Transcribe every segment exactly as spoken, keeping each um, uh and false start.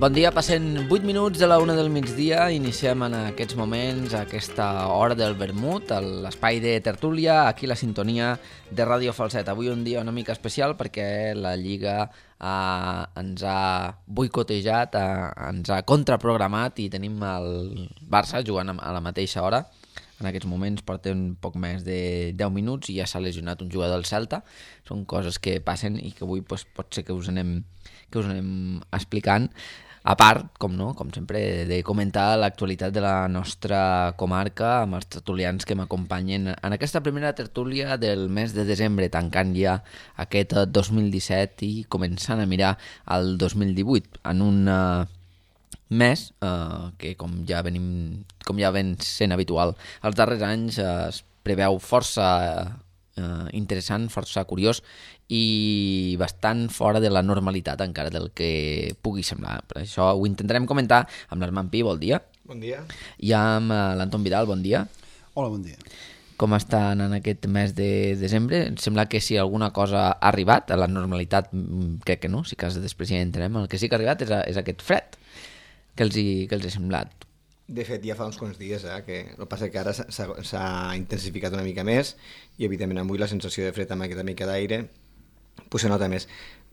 Bon dia, passen vuit minuts de la una del migdia, iniciem en aquests moments aquesta hora del vermut, l'espai de tertúlia, aquí la sintonia de Ràdio Falset. Avui un dia una mica especial perquè la Lliga eh, ens ha boicotejat, eh, ens ha contraprogramat i tenim el Barça jugant a la mateixa hora. En aquests moments porten poc més de deu minuts i ja s'ha lesionat un jugador del Celta. Són coses que passen i que avui pues, pot ser que us anem, que us anem explicant. A part, com no, com sempre, de comentar l'actualitat de la nostra comarca amb els tertulians que m'acompanyen en aquesta primera tertúlia del mes de desembre, tancant ja aquest dos mil disset i començant a mirar el dos mil divuit en un uh, mes uh, que, com ja venim, com ja ven sent habitual els darrers anys, uh, es preveu força uh, interessant, força curiós i bastant fora de la normalitat encara del que pugui semblar. Per això ho intentarem comentar amb l'Armand Pi, bon dia. Bon dia. I amb l'Anton Vidal, bon dia. Hola, bon dia. Com estan en aquest mes de desembre? Em sembla que si alguna cosa ha arribat a la normalitat, crec que no, si cas després ja entrem. El que sí que ha arribat és, a, és aquest fred. Què els, hi, què els ha semblat? De fet, ja fa uns quants dies, eh, que el que passa que ara s'ha intensificat una mica més i, evidentment, avui la sensació de fred amb aquesta mica d'aire pues se nota més.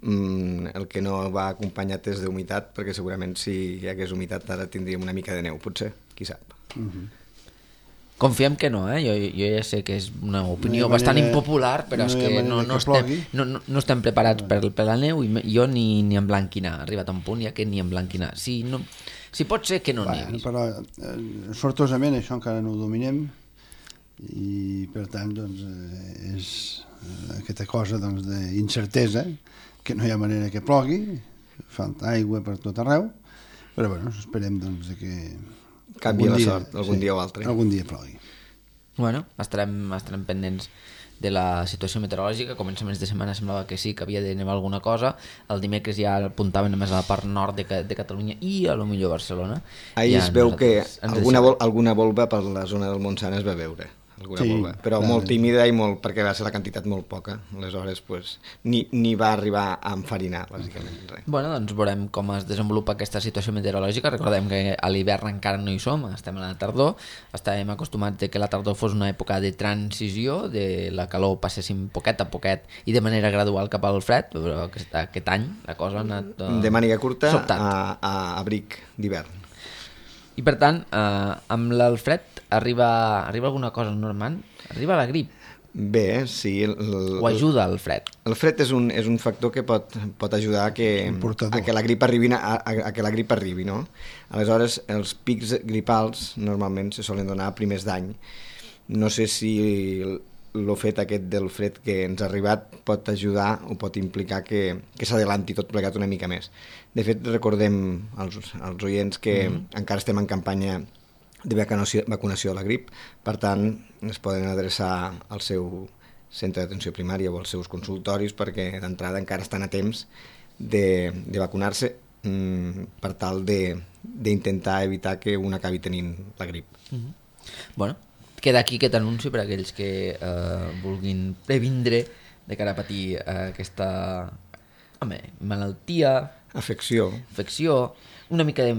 Mm, el que no va acompanyat és d'humitat, perquè segurament si hi hagués humitat ara tindríem una mica de neu, potser, qui sap. Uh-huh. Confiem que no, eh? Jo, jo ja sé que és una opinió no bastant manera, impopular, però no és que no, no, que estem, no, no, no estem preparats per, per la neu i jo ni, ni en blanquinar. Ha arribat a un punt ja que ni en blanquinar. Si, no, si pot ser que no bueno, nevi. Però eh, sortosament això encara no ho dominem i per tant doncs, eh, és eh, aquesta cosa doncs, d'incertesa, que no hi ha manera que plogui, falta aigua per tot arreu, però bueno, esperem doncs, que canvia la dia, sort, algun sí, dia o altre. Algun dia plogui. Bueno, estarem, estarem pendents de la situació meteorològica. Començaments de setmana semblava que sí, que havia de nevar alguna cosa. El dimecres ja apuntaven només a la part nord de, de Catalunya i a lo millor Barcelona. Ahir ja es veu que alguna, deixem... vol, alguna volva per la zona del Montsant es va veure. Alguna sí, volva, però clar, molt tímida i molt, perquè va ser la quantitat molt poca, aleshores pues, ni, ni va arribar a enfarinar bàsicament res. Bueno, doncs veurem com es desenvolupa aquesta situació meteorològica. Recordem que a l'hivern encara no hi som, estem a la tardor, estàvem acostumats que la tardor fos una època de transició, de la calor passéssim poquet a poquet i de manera gradual cap al fred, però aquest, aquest any la cosa ha anat uh, de màniga curta sobtat. a, a abric d'hivern. I per tant, eh, amb el fred arriba, arriba alguna cosa al Normand? Arriba la grip? Bé, sí. El, el, o ajuda el fred? El fred és un, és un factor que pot, pot ajudar a que, a que la grip arribi, a, a, a que la grip arribi, no? Aleshores, els pics gripals normalment se solen donar a primers d'any. No sé si el, el fet aquest del fred que ens ha arribat pot ajudar o pot implicar que, que s'adelanti tot plegat una mica més. De fet, recordem als, als oients que mm-hmm. encara estem en campanya de vacunació, vacunació a la grip, per tant, es poden adreçar al seu centre d'atenció primària o als seus consultoris perquè d'entrada encara estan a temps de, de vacunar-se mm, per tal d'intentar evitar que un acabi tenint la grip. Mm-hmm. Bueno, queda aquí aquest anunci per a aquells que eh, vulguin previndre de cara a patir eh, aquesta home, malaltia, afecció, afecció, una mica de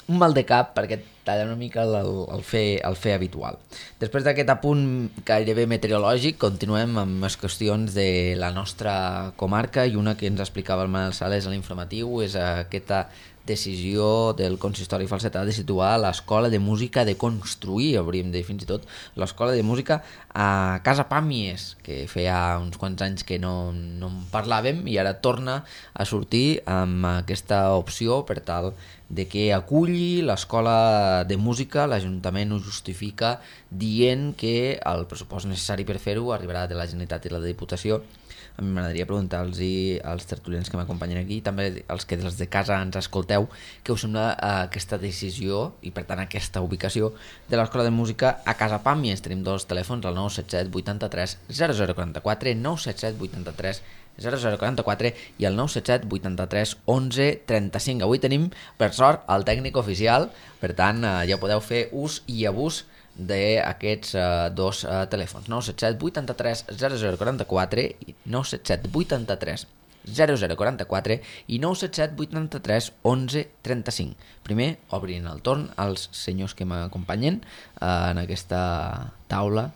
un mal de cap perquè talla una mica el, el, fer, el fer habitual. Després d'aquest apunt gairebé meteorològic, continuem amb les qüestions de la nostra comarca i una que ens explicava el Manel Sales a l'informatiu és aquesta decisió del consistori falsetà de situar l'escola de música, de construir, hauríem de dir fins i tot, l'escola de música a Casa Pàmies, que feia uns quants anys que no, no en parlàvem i ara torna a sortir amb aquesta opció per tal de que aculli l'escola de música. L'Ajuntament ho justifica dient que el pressupost necessari per fer-ho arribarà de la Generalitat i la Diputació. A mi m'agradaria preguntar-los als tertulians que m'acompanyen aquí, també als que des de casa ens escolteu, què us sembla aquesta decisió i per tant aquesta ubicació de l'Escola de Música a Casa Pàmies. Tenim dos telèfons, el nou set set vuitanta-tres zero zero quaranta-quatre, nou set set vuitanta-tres zero zero quaranta-quatre i el nou set set vuitanta-tres onze trenta-cinc. Avui tenim, per sort, el tècnic oficial, per tant ja podeu fer ús i abús d'aquests uh, dos uh, telèfons, nou set set vuitanta-tres zero zero quaranta-quatre i nou set set vuitanta-tres zero zero quaranta-quatre i nou set set vuitanta-tres onze trenta-cinc. Primer, obrin el torn als senyors que m'acompanyen en aquesta taula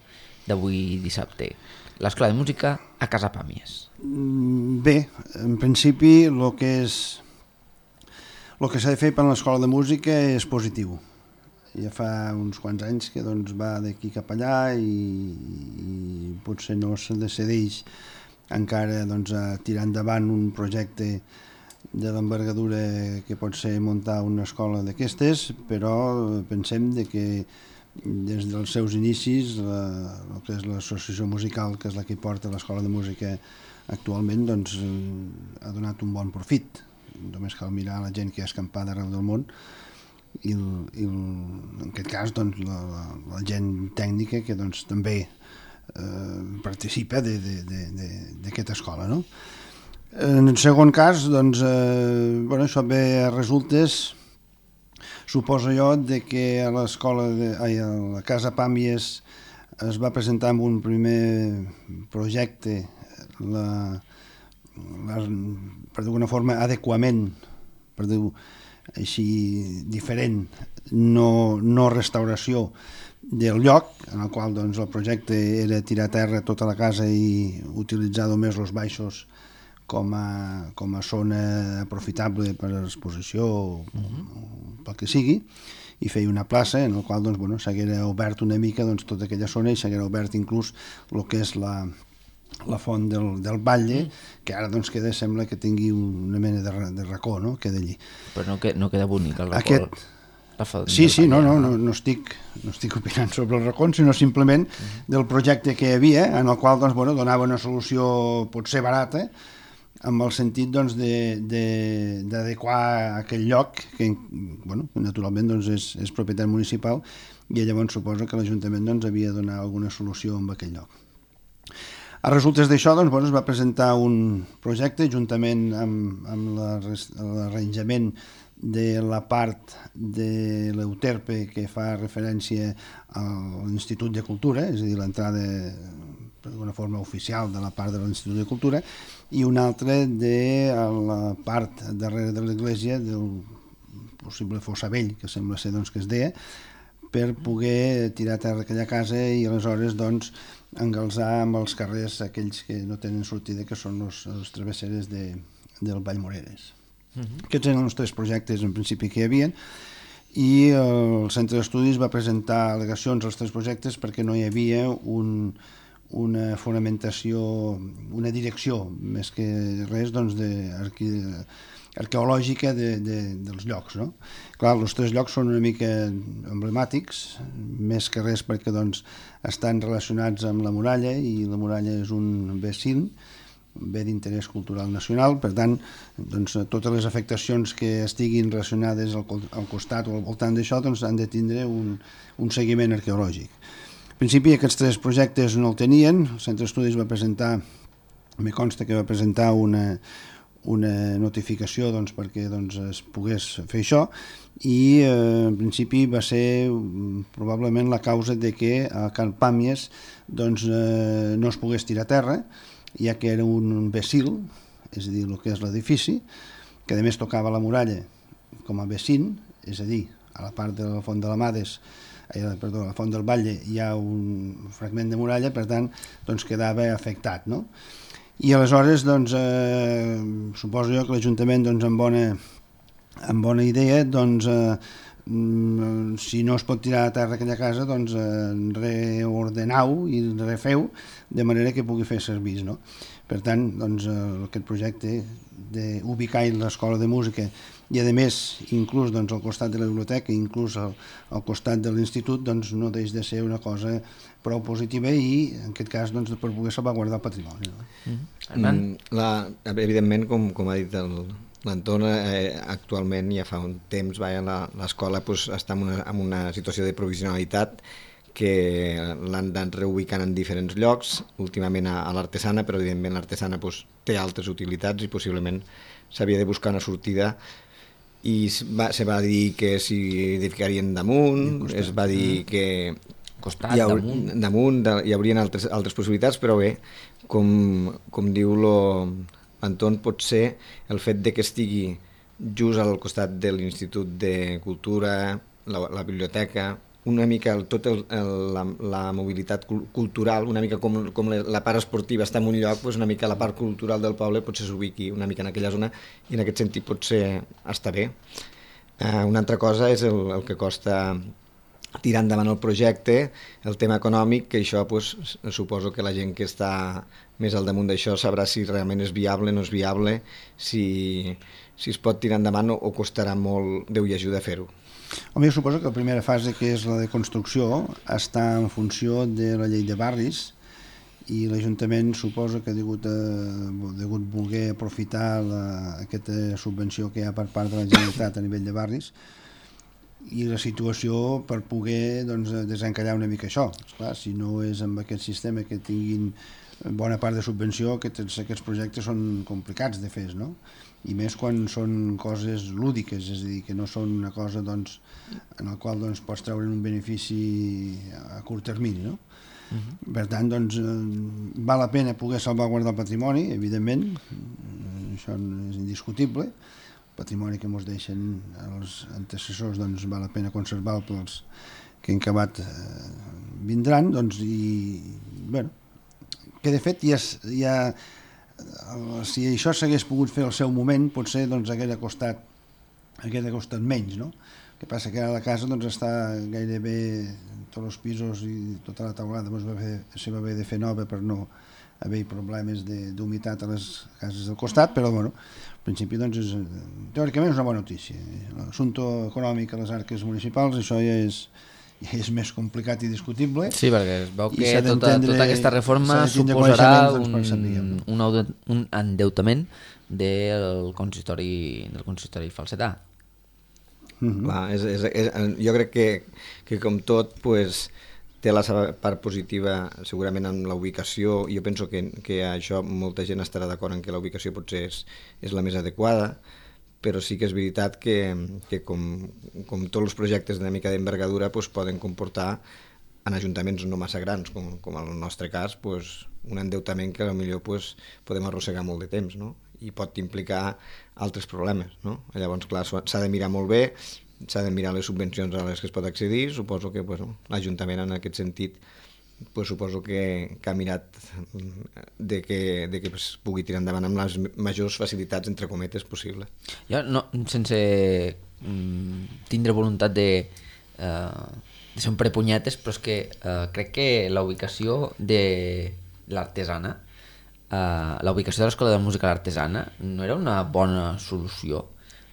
d'avui dissabte. L'Escola de Música a Casa Pàmies. Bé, en principi el que és el que s'ha de fer per l'Escola de Música és positiu. Ja fa uns quants anys que doncs, va d'aquí cap allà i, i potser no se decideix encara doncs, a tirar endavant un projecte de l'envergadura que pot ser muntar una escola d'aquestes, però pensem de que des dels seus inicis la, el que és l'associació musical, que és la que porta l'Escola de Música actualment, doncs, ha donat un bon profit. Només cal mirar la gent que ha escampat arreu del món i, el, i el, en aquest cas doncs, la, la, la gent tècnica que doncs, també eh, participa d'aquesta escola. No? En el segon cas, doncs, eh, bueno, això ve a resultes, suposo jo, de que a l'escola, a la Casa Pàmies es va presentar amb un primer projecte la La, per d'alguna forma adequament, per dir-ho així, diferent, no, no restauració del lloc, en el qual doncs, el projecte era tirar a terra tota la casa i utilitzar només els baixos com a, com a zona aprofitable per a exposició o, o pel que sigui, i feia una plaça en la qual doncs, bueno, s'haguera obert una mica doncs, tota aquella zona i s'haguera obert inclús el que és la la font del, del Batlle, mm. que ara doncs queda, sembla que tingui una mena de, de racó, no? Queda allí. Però no, que, no queda bonic el racó. Aquest... Sí, sí, no, no, no, no, estic, no estic opinant sobre el racó, sinó simplement mm. del projecte que hi havia, en el qual doncs, bueno, donava una solució potser barata, amb el sentit doncs, d'adequar aquell lloc, que bueno, naturalment doncs, és, és propietat municipal, i llavors suposa que l'Ajuntament doncs, havia de donar alguna solució en aquell lloc. A resultes d'això doncs, bueno, es va presentar un projecte juntament amb, amb l'arranjament de la part de l'Euterpe que fa referència a l'Institut de Cultura, és a dir, l'entrada d'una forma oficial de la part de l'Institut de Cultura, i una altra de la part darrere de l'església del possible fossa vell, que sembla ser doncs, que es deia, per poder tirar a terra aquella casa i aleshores doncs, engalzar amb els carrers aquells que no tenen sortida, que són els, els travesseres de, del Vallmoreres. Uh-huh. Aquests eren els tres projectes en principi que hi havia, i el centre d'estudis va presentar al·legacions als tres projectes perquè no hi havia un, una fonamentació, una direcció, més que res doncs, de arqui, arqueològica de, de, dels llocs. No? Clar, els tres llocs són una mica emblemàtics, més que res perquè doncs, estan relacionats amb la muralla, i la muralla és un bé cim, un bé d'interès cultural nacional, per tant, doncs, totes les afectacions que estiguin relacionades al, al costat o al voltant d'això doncs, han de tindre un, un seguiment arqueològic. En principi, aquests tres projectes no el tenien, el centre d'estudis va presentar, me consta que va presentar una, una notificació doncs, perquè doncs, es pogués fer això, i eh, en principi va ser probablement la causa de que a Can Pàmies doncs, eh, no es pogués tirar a terra, ja que era un vecil, és a dir, el que és l'edifici, que a més tocava la muralla com a vecin, és a dir, a la part de la Font de la Mades, eh, perdó, a la Font del Batlle hi ha un fragment de muralla, per tant, doncs quedava afectat, no? I aleshores, doncs, eh, suposo jo que l'Ajuntament, doncs, amb bona, amb bona idea, doncs, eh, si no es pot tirar a terra aquella casa, doncs, eh, reordenau i refeu de manera que pugui fer servir, no? Per tant, doncs, eh, aquest projecte d'ubicar l'escola de música i, a més, inclús doncs, al costat de la biblioteca, inclús al, al costat de l'institut, doncs, no deix de ser una cosa prou positiva i, en aquest cas, doncs, per poder salvaguardar el patrimoni. No? Mm-hmm. La, evidentment, com, com ha dit l'Anton, eh, actualment, ja fa un temps, l'escola pues, està en una, en una situació de provisionalitat que l'han anat reubicant en diferents llocs, últimament a, a l'Artesana, però evidentment l'Artesana pues, té altres utilitats i possiblement s'havia de buscar una sortida, i va, se va dir que s'hi edificarien damunt, es va dir que costat, hi, haur, damunt, damunt de, hi haurien altres, altres possibilitats, però bé, com, com diu lo, l'entorn pot ser el fet de que estigui just al costat de l'Institut de Cultura, la, la biblioteca, una mica el, tot el, el, la, la mobilitat cultural, una mica com, com la part esportiva està en un lloc, doncs una mica la part cultural del poble potser s'ubiqui una mica en aquella zona i en aquest sentit potser està bé. Uh, una altra cosa és el, el que costa tirar endavant el projecte, el tema econòmic, que això pues, suposo que la gent que està més al damunt d'això sabrà si realment és viable o no és viable, si, si es pot tirar endavant o, o costarà molt Déu i ajuda a fer-ho. Home, jo suposo que la primera fase, que és la de construcció, està en funció de la llei de barris i l'Ajuntament suposa que ha degut, a, degut voler aprofitar la, aquesta subvenció que hi ha per part de la Generalitat a nivell de barris i la situació per poder doncs, desencallar una mica això. Esclar, si no és amb aquest sistema que tinguin bona part de subvenció, aquests, aquests projectes són complicats de fer, no? I més quan són coses lúdiques, és a dir, que no són una cosa doncs, en la qual doncs, pots treure un benefici a curt termini, no? Uh-huh. Per tant, doncs, val la pena poder salvaguardar el patrimoni, evidentment, això és indiscutible, patrimoni que ens deixen els antecessors, doncs val la pena conservar-lo pels que en acabat eh, vindran, doncs, i, bueno, que de fet ja, ja si això s'hagués pogut fer al seu moment, potser doncs hagués costat, hagués costat menys, no? El que passa que ara la casa doncs està gairebé tots els pisos i tota la taulada doncs, va haver, se va haver de fer nova per no haver problemes d'humitat a les cases del costat, però bueno, al principi doncs és, teòricament és una bona notícia. L'assumpte econòmic a les arques municipals, això ja és, ja és més complicat i discutible. Sí, perquè es veu que tota, tota aquesta reforma suposarà un, un, un endeutament del consistori, del consistori falsetà. Mm-hmm. Clar, és, és, és, jo crec que, que com tot pues, té la seva part positiva segurament en la ubicació. Jo penso que, que això molta gent estarà d'acord en que la ubicació potser és, és la més adequada, però sí que és veritat que, que com, com tots els projectes d'una mica d'envergadura pues, poden comportar en ajuntaments no massa grans, com, com en el nostre cas, pues, un endeutament que potser pues, podem arrossegar molt de temps, no? I pot implicar altres problemes, no? Llavors, clar, s'ha de mirar molt bé, s'ha de mirar les subvencions a les que es pot accedir. Suposo que pues, l'Ajuntament en aquest sentit pues, suposo que, que ha mirat de que, de que es pugui tirar endavant amb les majors facilitats, entre cometes, possible. Jo, no, sense mm, tindre voluntat de, uh, de ser un prepunyetes, però és que uh, crec que la ubicació de l'artesana, uh, la ubicació de l'Escola de Música l'Artesana no era una bona solució.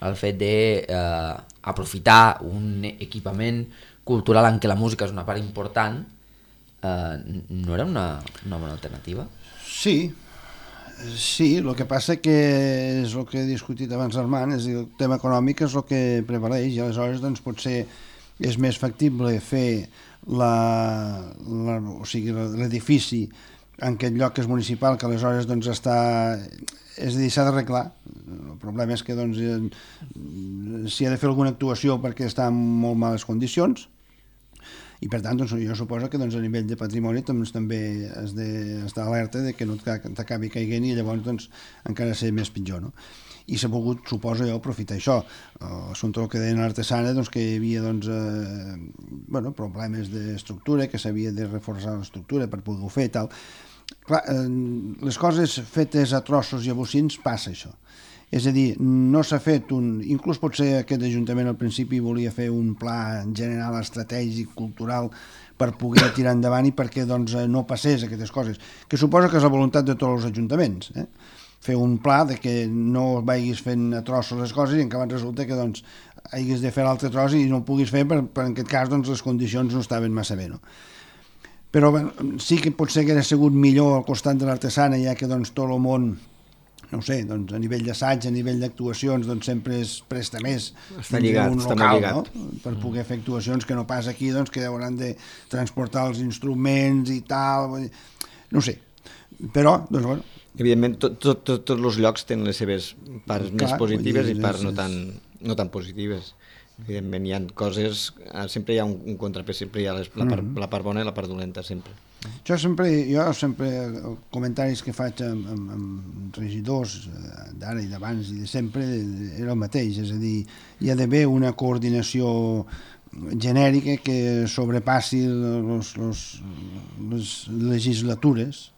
El fet d'aprofitar uh, un equipament cultural en què la música és una part important uh, no era una, una bona alternativa? Sí, sí, el que passa que és el que he discutit abans Armand, és el tema econòmic és el que prevaleix i aleshores doncs, potser és més factible fer la, la, o sigui, l'edifici en aquest lloc que és municipal, que aleshores doncs, està... És a dir, s'ha d'arreglar. El problema és que doncs, s'hi ha de fer alguna actuació perquè està en molt males condicions i per tant doncs, jo suposo que doncs, a nivell de patrimoni doncs, també has d'estar alerta de que no t'acabi caiguent i llavors doncs, encara ser més pitjor, no? I s'ha pogut, suposo jo, aprofitar això. L'assumpte del que deien l'artesana, doncs, que hi havia doncs, eh, bueno, problemes d'estructura, que s'havia de reforçar l'estructura per poder-ho fer i tal. Clar, eh, les coses fetes a trossos i a bocins passa això. És a dir, no s'ha fet un... Inclús potser aquest Ajuntament al principi volia fer un pla general estratègic, cultural, per poder tirar endavant i perquè doncs, no passés aquestes coses, que suposa que és la voluntat de tots els ajuntaments, eh? Fer un pla de que no vagis fent a trossos les coses i en acabat resulta que doncs, hagis de fer l'altre tros i no ho puguis fer per, per en aquest cas doncs, les condicions no estaven massa bé, no? Però bé, sí que potser que hauria sigut millor al costat de l'artesana, ja que doncs, tot el món, no sé, doncs, a nivell d'assaig, a nivell d'actuacions, doncs, sempre es presta més està lligat, un està local, lligat. No? Per poder fer actuacions que no pas aquí, doncs, que hauran de transportar els instruments i tal, no sé. Però, doncs, bueno... Evidentment, tots tot, tot, tot els llocs tenen les seves parts Clar, més positives i parts no tan, no tan positives. Evidentment, hi ha coses, sempre hi ha un, un contrapès, sempre hi ha les, la, part, la part bona i la part dolenta, sempre. Jo sempre, jo sempre, els comentaris que faig amb, amb, amb regidors d'ara i d'abans i de sempre era el mateix, és a dir, hi ha d'haver una coordinació genèrica que sobrepassi los, los, les legislatures,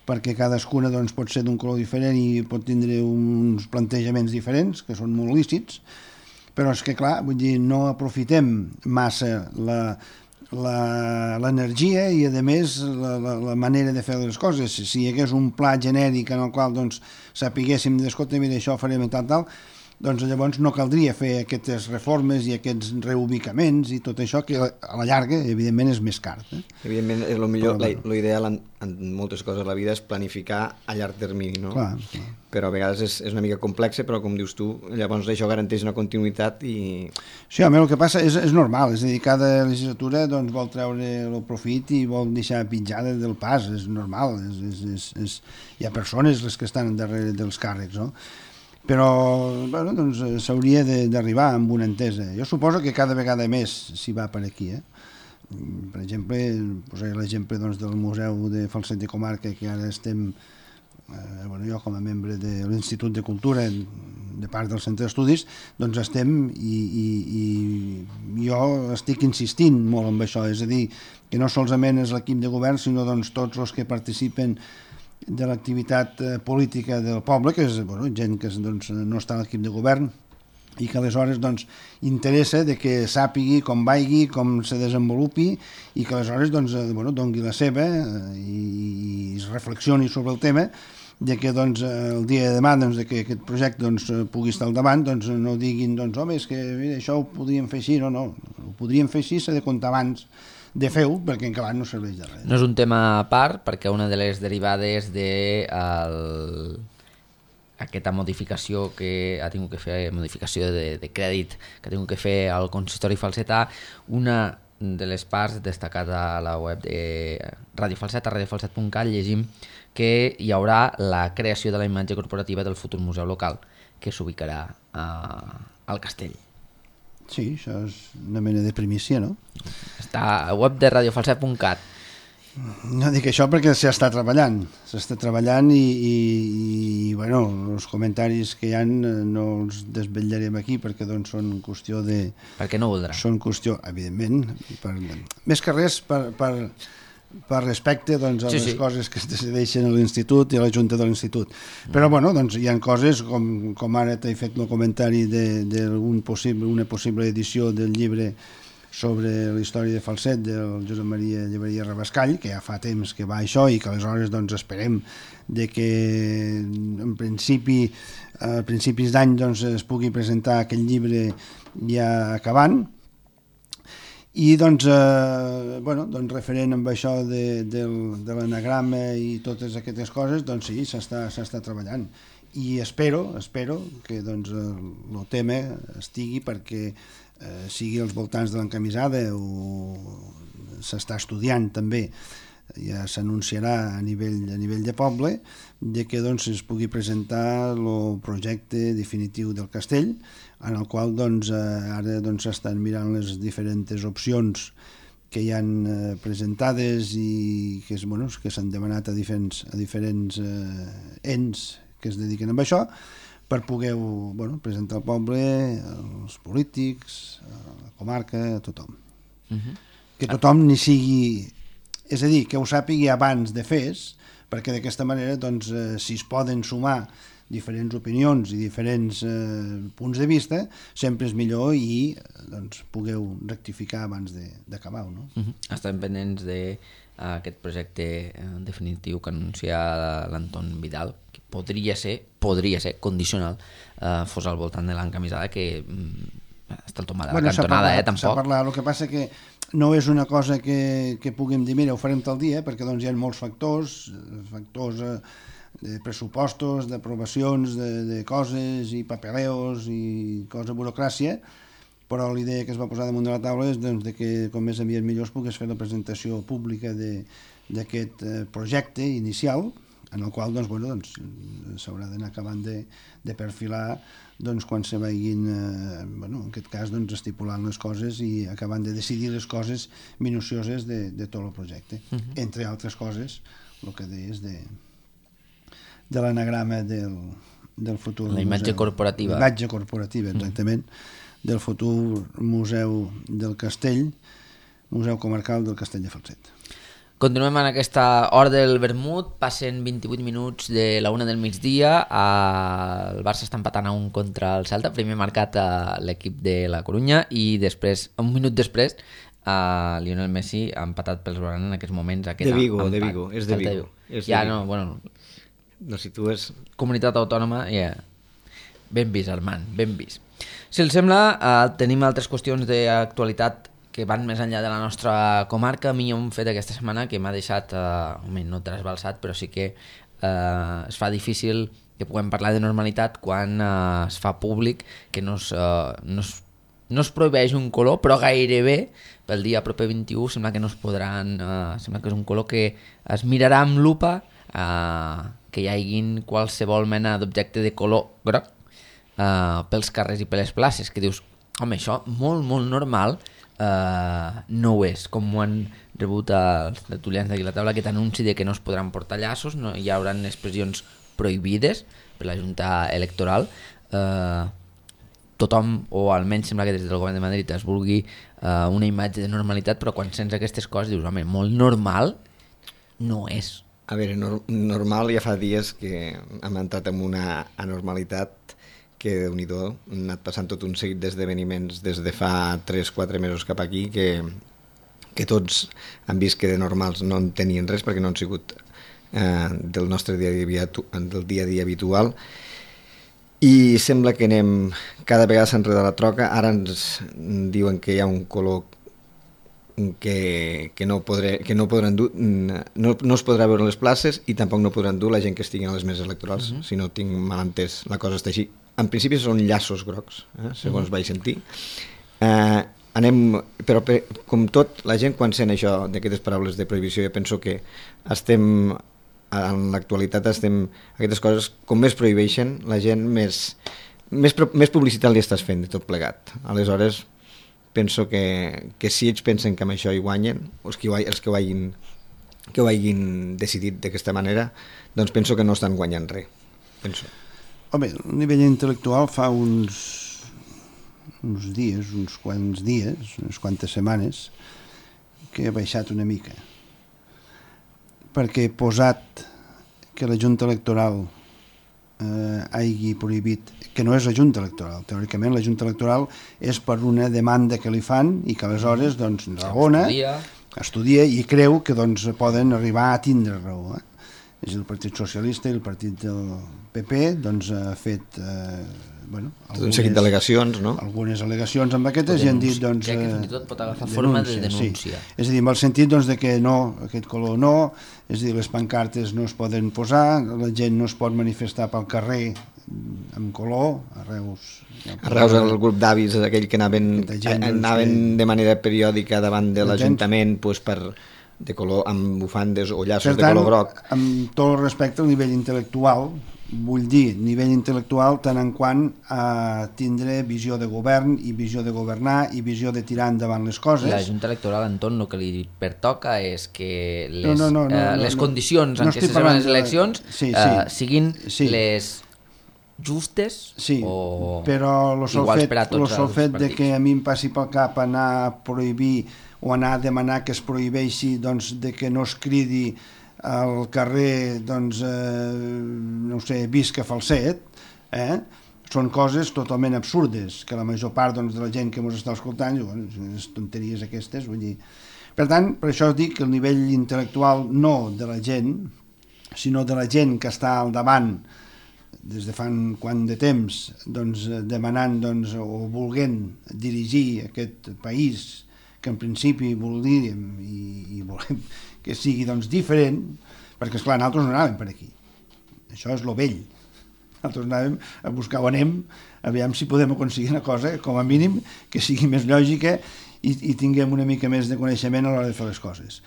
perquè cadascuna doncs, pot ser d'un color diferent i pot tindre uns plantejaments diferents, que són molt lícits, però és que, clar, vull dir, no aprofitem massa la l'energia i, a més, la, la, la manera de fer les coses. Si hi hagués un pla genèric en el qual doncs, sapiguéssim, escolta, mira, això farem i tal, tal, doncs llavors no caldria fer aquestes reformes i aquests reubicaments i tot això, que a la llarga, evidentment, és més car. Eh? Evidentment, és el millor, bueno. L'ideal en, en moltes coses de la vida és planificar a llarg termini, no? Clar, clar. Però a vegades és, és una mica complexa, però com dius tu, llavors això garanteix una continuïtat i... Sí, home, el que passa és, és normal, és a dir, cada legislatura doncs, vol treure el profit i vol deixar pitjada del pas, és normal, és, és, és, és... hi ha persones les que estan darrere dels càrrecs, no? Però bueno, doncs, s'hauria d'arribar amb una entesa. Jo suposo que cada vegada més s'hi va per aquí. Eh? Per exemple, posaré l'exemple doncs, del Museu de Falset de Comarca, que ara estem, eh, bueno, jo com a membre de l'Institut de Cultura, de part del Centre d'Estudis, doncs estem i, i, i jo estic insistint molt en això, és a dir, que no solament és l'equip de govern, sinó doncs, tots els que participen de l'activitat política del poble, que és bueno, gent que doncs, no està a l'equip de govern i que aleshores doncs, interessa de que sàpigui com vagi, com se desenvolupi i que aleshores doncs, bueno, dongui la seva i, i reflexioni sobre el tema, de que doncs, el dia de demà doncs, de que aquest projecte doncs, pugui estar al davant, doncs, no diguin doncs, home, és que mira, això ho podríem fer així, no, no, ho podríem fer així, s'ha de comptar abans de fer-ho, perquè en acabat no serveix de res. No és un tema a part, perquè una de les derivades de el... aquesta modificació que ha tingut que fer, modificació de, de crèdit que ha tingut que fer el consistori falsetà, una de les parts destacada a la web de Radio Falset, a radiofalset punt cat, llegim que hi haurà la creació de la imatge corporativa del futur museu local, que s'ubicarà al castell. Sí, això és una mena de primícia, no? Està a web de radiofalset punt cat. No dic això perquè s'està treballant, s'està treballant i, i, i bueno, els comentaris que hi ha no els desvetllarem aquí perquè doncs són qüestió de... Perquè no voldrà. Són qüestió, evidentment, per, més que res per, per, per respecte doncs, a sí, les sí. coses que es decideixen a l'institut i a la junta de l'institut. Mm. Però bueno, doncs hi ha coses, com, com ara t'he fet el comentari d'una possible, una possible edició del llibre sobre la història de Falset del Josep Maria Lleberia Rabascall, que ja fa temps que va això i que aleshores doncs, esperem de que en principi a principis d'any doncs, es pugui presentar aquest llibre ja acabant. I doncs, eh, bueno, doncs referent amb això de, de, de l'anagrama i totes aquestes coses, doncs sí, s'està s'està treballant. I espero, espero que doncs, el tema estigui perquè eh, sigui als voltants de l'encamisada o s'està estudiant també, ja s'anunciarà a nivell, a nivell de poble, de que doncs, es pugui presentar el projecte definitiu del castell, en el qual doncs, ara doncs, s'estan mirant les diferents opcions que hi han eh, presentades i que, és, bueno, que s'han demanat a diferents, a diferents eh, ens que es dediquen a això, per poder bueno, presentar al poble, als polítics, a la comarca, a tothom. Uh-huh. Que tothom n'hi sigui... És a dir, que ho sàpigui abans de fes, perquè d'aquesta manera, doncs, eh, si es poden sumar diferents opinions i diferents eh, punts de vista, sempre és millor i doncs, pugueu rectificar abans d'acabar-ho. No? Uh-huh. Estem pendents d'aquest uh, projecte uh, definitiu que anuncia l'Anton Vidal, que podria ser, podria ser condicional, uh, fos al voltant de l'encamisada, que um, està el tomada bueno, la cantonada, eh, tampoc. S'ha parlat, el que passa que no és una cosa que, que puguem dir, mira, ho farem tal dia, perquè doncs, hi ha molts factors, factors eh, de pressupostos, d'aprovacions de, de coses i papeleos i cosa burocràcia, però l'idea que es va posar damunt de la taula és doncs, de que com més aviat millor es pogués fer la presentació pública d'aquest eh, projecte inicial en el qual doncs, bueno, doncs, s'haurà d'anar acabant de, de perfilar doncs, quan se vagin, eh, bueno, en aquest cas, doncs, estipulant les coses i acabant de decidir les coses minucioses de, de tot el projecte. Uh -huh. Entre altres coses, el que deies de, de l'anagrama del, del futur la imatge museu, corporativa. La imatge corporativa, exactament, uh -huh. del futur museu del Castell, Museu Comarcal del Castell de Falset. Continuem en aquesta hora del vermut, passen vint-i-vuit minuts de la una del migdia, el Barça està empatant a un contra el Celta, primer marcat a l'equip de la Corunya i després, un minut després, a Lionel Messi ha empatat pels Blaugrana en aquests moments. Aquest de Vigo, empat. de Vigo, és de Vigo. És ja, de Vigo. no, bueno... No situes... Comunitat autònoma, ja... Yeah. Ben vist, Armand, ben vist. Si els sembla, eh, tenim altres qüestions d'actualitat que van més enllà de la nostra comarca. A mi hi ha un fet aquesta setmana que m'ha deixat, eh, no trasbalsat, però sí que eh, es fa difícil que puguem parlar de normalitat quan eh, es fa públic que no es, eh, no, es, no es prohibeix un color, però gairebé pel dia proper vint-i-u sembla que no es podran... Eh, sembla que és un color que es mirarà amb lupa, eh, que hi hagi qualsevol mena d'objecte de color groc eh, pels carrers i per les places, que dius, home, això molt, molt normal... Uh, no ho és, com ho han rebut els tertulians d'aquí a la taula, que t'anunci de que no es podran portar llaços, no hi haurà expressions prohibides per la Junta Electoral. Uh, tothom, o almenys sembla que des del govern de Madrid es vulgui uh, una imatge de normalitat, però quan sents aquestes coses dius, home, molt normal no és. A veure, no, normal ja fa dies que hem entrat en una anormalitat que Déu-n'hi-do, han anat passant tot un seguit d'esdeveniments des de fa tres quatre mesos cap aquí que, que tots han vist que de normals no en tenien res perquè no han sigut eh, del nostre dia a dia, del dia a dia habitual, i sembla que anem, cada vegada s'enreda la troca. Ara ens diuen que hi ha un color que, que, no, podré, que no podran dur, no, no es podrà veure les places i tampoc no podran dur la gent que estigui a les meses electorals. Uh-huh. Si no tinc mal entès, la cosa està així. En principi són llaços grocs, eh, segons uh-huh. vaig sentir. Eh, anem, però per, com tot, la gent quan sent això d'aquestes paraules de prohibició, jo penso que estem, en l'actualitat estem, aquestes coses, com més prohibeixen, la gent més, més, més publicitat li estàs fent de tot plegat. Aleshores, penso que, que si ells pensen que amb això hi guanyen, els que, els que, ho, hagin, que ho hagin decidit d'aquesta manera, doncs penso que no estan guanyant res, penso. Home, a nivell intel·lectual fa uns, uns dies, uns quants dies, unes quantes setmanes, que ha baixat una mica. Perquè posat que la Junta Electoral eh, hagi prohibit, que no és la Junta Electoral, teòricament la Junta Electoral és per una demanda que li fan i que aleshores doncs, raona, estudia. estudia i creu que doncs, poden arribar a tindre raó. Eh? És el Partit Socialista i el Partit del P P doncs, ha fet eh, bueno, algunes, un seguit d'al·legacions, no? algunes al·legacions amb aquestes i han dit doncs, crec que fins i tot pot agafar forma de denúncia. Sí. És a dir, amb el sentit doncs, de que no, aquest color no, és a dir, les pancartes no es poden posar, la gent no es pot manifestar pel carrer amb color, a Reus... A Reus el grup d'avis, aquell que anaven, gent, anaven doncs, de manera periòdica davant de l'Ajuntament pues, per... de color, amb bufandes o llaços per tant, de color groc. Amb tot el respecte al nivell intel·lectual, vull dir, nivell intel·lectual tant en quant a tindre visió de govern i visió de governar i visió de tirar endavant les coses. La Junta Electoral, Anton, el que li pertoca és que les, no, no, no, no, eh, les no, condicions no, en no què se celebren les eleccions sí, sí, eh, siguin sí. les justes sí, o però lo sol iguals fet, per a tots lo sol els fet partits. De que a mi em passi pel cap anar a prohibir o anar a demanar que es prohibeixi doncs, de que no es cridi al carrer doncs, eh, no sé, visca Falset, eh? Són coses totalment absurdes que la major part doncs, de la gent que ens està escoltant diu, bueno, les tonteries aquestes, vull dir. Per tant, per això dic que el nivell intel·lectual no de la gent, sinó de la gent que està al davant des de fa quant de temps doncs, demanant doncs, o volent dirigir aquest país que en principi voldríem i, i volem que sigui doncs, diferent, perquè esclar, nosaltres no anàvem per aquí. Això és lo vell. Nosaltres anàvem a buscar on anem, aviam si podem aconseguir una cosa, com a mínim, que sigui més lògica i, i tinguem una mica més de coneixement a l'hora de fer les coses.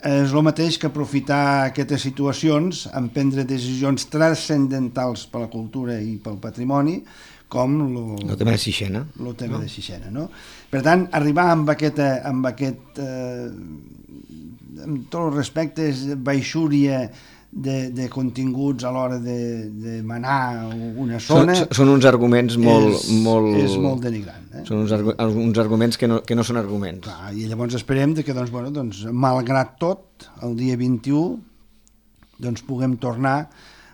és el mateix que aprofitar aquestes situacions en prendre decisions transcendentals per la cultura i pel patrimoni, com el tema de Sixena. El tema no? de Sixena, no? Per tant, arribar amb aquest, amb aquest eh, amb tots els respectes, baixúria de, de continguts a l'hora de, de manar una zona... Són, són uns arguments molt... És molt, és molt denigrant. Eh? Són uns, uns arguments que no, que no són arguments. Clar, i llavors esperem que, doncs, bueno, doncs, malgrat tot, el dia vint-i-u doncs, puguem tornar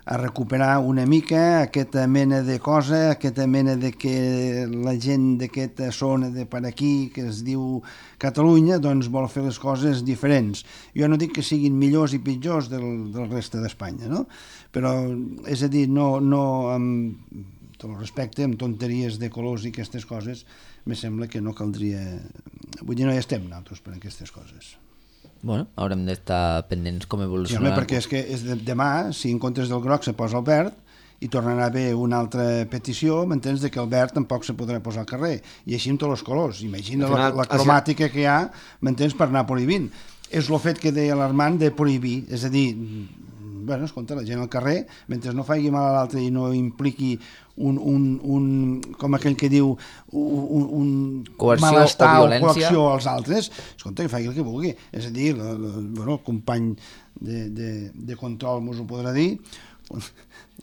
a recuperar una mica aquesta mena de cosa, aquesta mena de que la gent d'aquesta zona de per aquí, que es diu Catalunya, doncs vol fer les coses diferents. Jo no dic que siguin millors i pitjors del, del reste d'Espanya, no? Però, és a dir, no, no amb tot el respecte, amb tonteries de colors i aquestes coses, me sembla que no caldria... Vull dir, no hi estem nosaltres per aquestes coses. Bueno, haurem d'estar pendents com evolucionarà. Sí, home, perquè és que és de, demà, si en comptes del groc se posa el verd, i tornarà a haver una altra petició, m'entens, de que el verd tampoc se podrà posar al carrer. I així amb tots els colors. Imagina la, la cromàtica que hi ha, m'entens, per anar prohibint. És el fet que deia l'Armand de prohibir, és a dir, bueno, escolta, la gent al carrer, mentre no faci mal a l'altre i no impliqui un, un, un com aquell que diu, un, un coerció malestar o o coacció als altres, escolta, que faci el que vulgui. És a dir, la, la, bueno, el company de, de, de control mos ho podrà dir,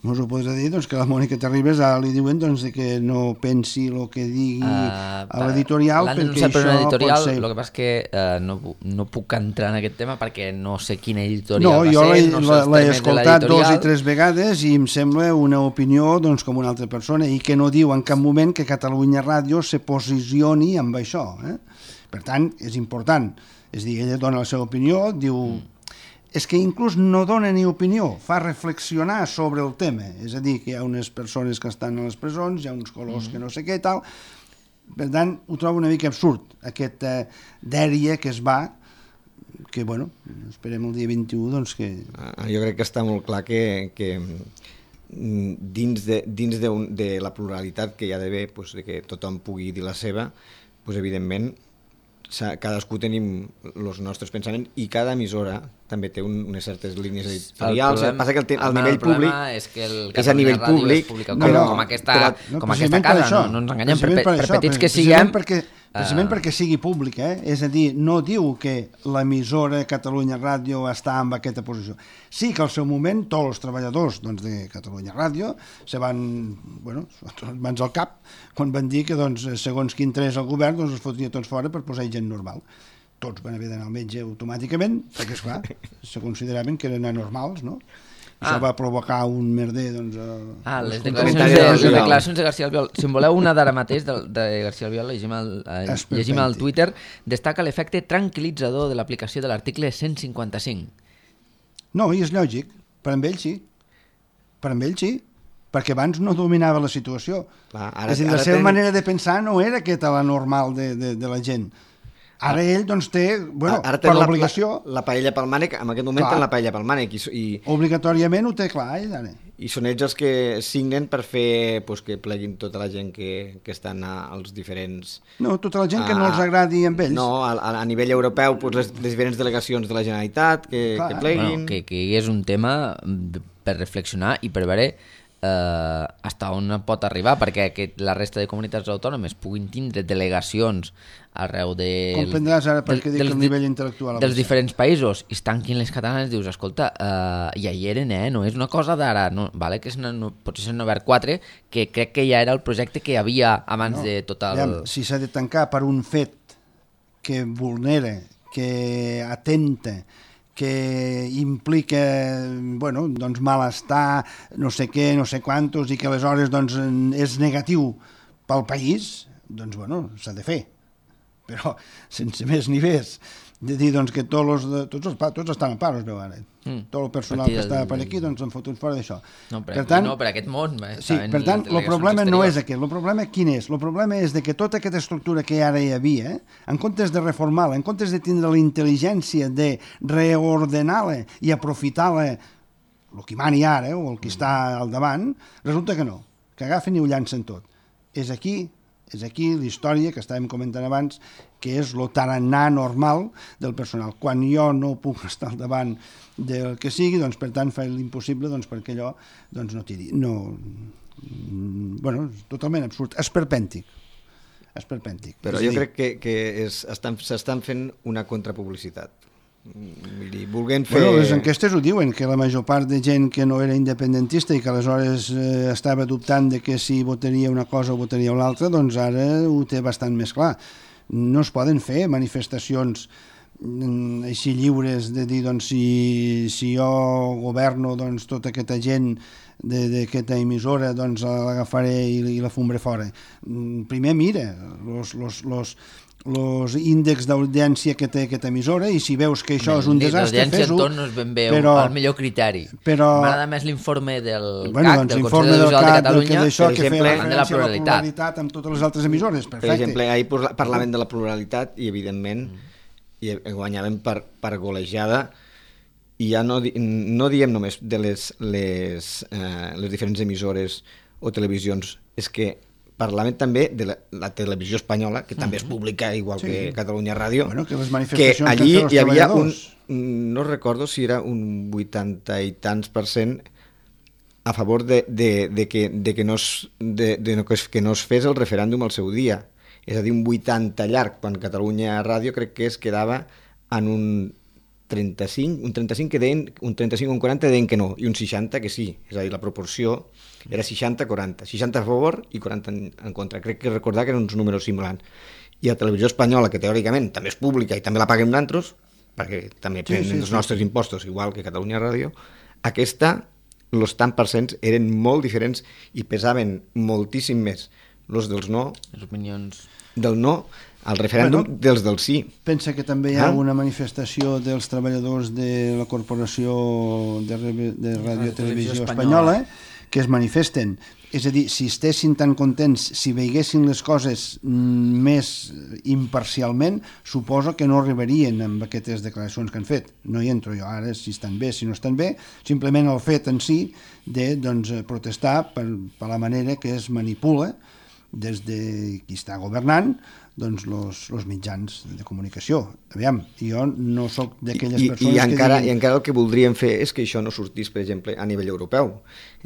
mos ho podrà dir, doncs, que la Mònica Terribas ara li diuen, doncs, que no pensi el que digui uh, a l'editorial, perquè això per editorial, pot ser... El que passa és que uh, no, no puc entrar en aquest tema perquè no sé quina editorial no, va jo ser, no sé l'he escoltat dos i tres vegades i em sembla una opinió, doncs, com una altra persona, i que no diu en cap moment que Catalunya Ràdio se posicioni amb això. Eh? Per tant, és important. És a dir, ella dona la seva opinió, diu... Mm. És que inclús no dona ni opinió, fa reflexionar sobre el tema. És a dir, que hi ha unes persones que estan a les presons, hi ha uns colors mm. que no sé què i tal. Per tant, ho trobo una mica absurd, aquesta dèria que es va, que, bueno, esperem el dia vint-i-u, doncs que... Jo crec que està molt clar que, que dins, de, dins de, un, de la pluralitat que hi ha d'haver, pues, de que tothom pugui dir la seva, pues, evidentment, cadascú tenim els nostres pensaments i cada emissora també té un, unes certes línies editorials. El, passa que el, el, el nivell públic és, que el és a nivell públic, com, no, no, com aquesta, però, no, com aquesta casa, no, no ens enganyem, per, per, per, per petits que siguem... Perquè, precisament uh... perquè sigui públic, eh? És a dir, no diu que l'emissora Catalunya Ràdio està en aquesta posició. Sí que al seu moment tots els treballadors, doncs, de Catalunya Ràdio se van, bueno, mans al cap quan van dir que, doncs, segons quin tres el govern, doncs, es fotria tots fora per posar gent normal. Tots van haver d'anar al metge automàticament, perquè, esclar, se consideraven que eren anormals, no? Ah. Això va provocar un merder, doncs... A... Ah, les declaracions de, les declaracions de García Albiol. Si en voleu una d'ara mateix, de, de García Albiol, llegim al, eh, llegim al Twitter, destaca l'efecte tranquil·litzador de l'aplicació de l'article cent cinquanta-cinc. No, i és lògic. Per amb ell sí. Per amb ell sí. Perquè abans no dominava la situació. Clar, ara, és a dir, la seva ten... manera de pensar no era aquesta la normal de, de, de la gent. Ara ell, doncs, té, bueno, ara per l'obligació... La, la paella pel mànec, en aquest moment té la paella pel mànec. I, i, obligatoriament ho té clar, ell, ara. I són ells els que signen per fer pues, que pleguin tota la gent que, que estan als diferents... No, tota la gent a, que no els agradi amb ells. No, a, a nivell europeu, pues, les, les diferents delegacions de la Generalitat que, que pleguin... Bueno, que, que és un tema per reflexionar i per veure... Uh, hasta on pot arribar, perquè que la resta de comunitats autònomes puguin tindre delegacions arreu de... Comprendràs ara perquè dic el nivell intel·lectual... Dels diferents països, i es tanquin les catalanes, dius, escolta, uh, ja hi eren, eh? No és una cosa d'ara, no, vale, que és una, no, potser s'han obert quatre, que crec que ja era el projecte que hi havia abans no, de tot el... Aviam, si s'ha de tancar per un fet que vulnera, que atenta, que implica, bueno, doncs malestar, no sé què, no sé quantos, i que aleshores doncs, és negatiu pel país, doncs, bueno, s'ha de fer. Però, sense més ni més, de dir doncs, que tots, els, tots, els, tots estan en paro, es veu ara. Mm. Tot el personal que estava per aquí, doncs, en foten fora d'això. No, per, per tant, no, per aquest món... Sí, per tant, el problema exteriors. No és aquest. El problema quin és? El problema és de que tota aquesta estructura que ara hi havia, en comptes de reformar-la, en comptes de tindre la intel·ligència de reordenar-la i aprofitar-la, el que mani ara, o el que mm. està al davant, resulta que no, que agafen i ho llancen tot. És aquí, És aquí la història que estàvem comentant abans, que és el tarannà normal del personal. Quan jo no puc estar al davant del que sigui, doncs per tant fa l'impossible doncs, perquè allò doncs, no tiri. No, bueno, és totalment absurd. Esperpèntic. Esperpèntic. Però jo crec que, que s'estan estan fent una contrapublicitat. Dir, volent fer... Bueno, les enquestes ho diuen, que la major part de gent que no era independentista i que aleshores eh, estava dubtant de que si votaria una cosa o votaria una altra, doncs ara ho té bastant més clar. No es poden fer manifestacions mm, així lliures de dir, doncs, si, si jo governo, doncs, tota aquesta gent d'aquesta emissora, doncs, l'agafaré i, i la fumbré fora. Primer mira, los... los, los els índexs d'audiència que té aquesta emissora i si veus que això és un desastre, fes-ho. L'audiència no és ben bé però, el millor criteri. Però... M'agrada més l'informe del bueno, C A C, doncs, del Consell de Visual de Catalunya, que, d'això, per que exemple, feia de la pluralitat. la pluralitat amb totes les altres emissores. Perfecte. Per exemple, ahir parlaven de la pluralitat i, evidentment, i guanyàvem per, per golejada i ja no, no diem només de les, les, eh, les diferents emissores o televisions, és que parlàvem també de la, la televisió espanyola, que també és pública, igual sí. que Catalunya Ràdio, bueno, que, les manifestacions que allí que hi havia un, no recordo si era un vuitanta i tants per cent a favor de, de, de, que, de, que, no es, de, de que no es fes el referèndum al seu dia. És a dir, un vuitanta llarg, quan Catalunya Ràdio crec que es quedava en un trenta-cinc, un trenta-cinc que deien, un trenta-cinc o un quaranta deien que no, i un seixanta que sí, és a dir, la proporció era seixanta quaranta, seixanta a favor i quaranta en, en contra. Crec que recordar que eren uns números similars. I la televisió espanyola, que teòricament també és pública i també la paguem nosaltres, perquè també sí, prenen sí, els sí. nostres impostos, igual que Catalunya Ràdio, aquesta, els tant percents eren molt diferents i pesaven moltíssim més els dels no, les opinions del no, al referèndum bueno, dels del sí. Pensa que també hi ha ah? una manifestació dels treballadors de la Corporació de, de Radio i Televisió Espanyola, Espanyola que es manifesten. És a dir, si estessin tan contents, si veiguessin les coses més imparcialment, suposo que no arribarien amb aquestes declaracions que han fet. No hi entro jo ara si estan bé, si no estan bé, simplement el fet en si de doncs, protestar per, per la manera que es manipula des de qui està governant doncs los, los mitjans de comunicació. Aviam, jo no sóc d'aquelles I, persones i encara, que... Diguin... I encara el que voldrien fer és que això no sortís, per exemple, a nivell europeu.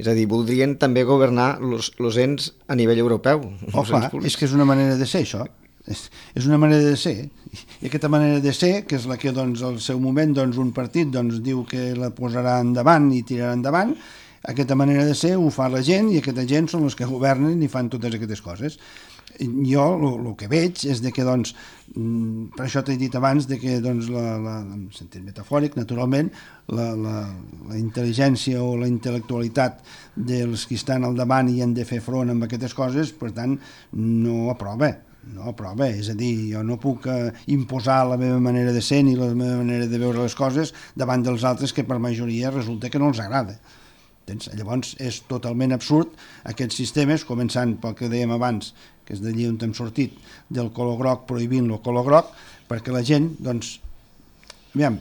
És a dir, voldrien també governar los, los ens a nivell europeu. Oh, clar, és que és una manera de ser, això. És, és una manera de ser. I aquesta manera de ser, que és la que doncs, al seu moment doncs, un partit doncs, diu que la posarà endavant i tirarà endavant, aquesta manera de ser ho fa la gent i aquesta gent són els que governen i fan totes aquestes coses. Jo el que veig és de que, doncs, per això t'he dit abans, de que, doncs, la, la, en sentit metafòric, naturalment, la, la, la intel·ligència o la intel·lectualitat dels que estan al davant i han de fer front amb aquestes coses, per tant, no aprova. No aprova, és a dir, jo no puc eh, imposar la meva manera de ser ni la meva manera de veure les coses davant dels altres que per majoria resulta que no els agrada. Llavors és totalment absurd aquests sistemes, començant pel que dèiem abans, que és d'allí on hem sortit, del color groc prohibint el color groc, perquè la gent, doncs, aviam,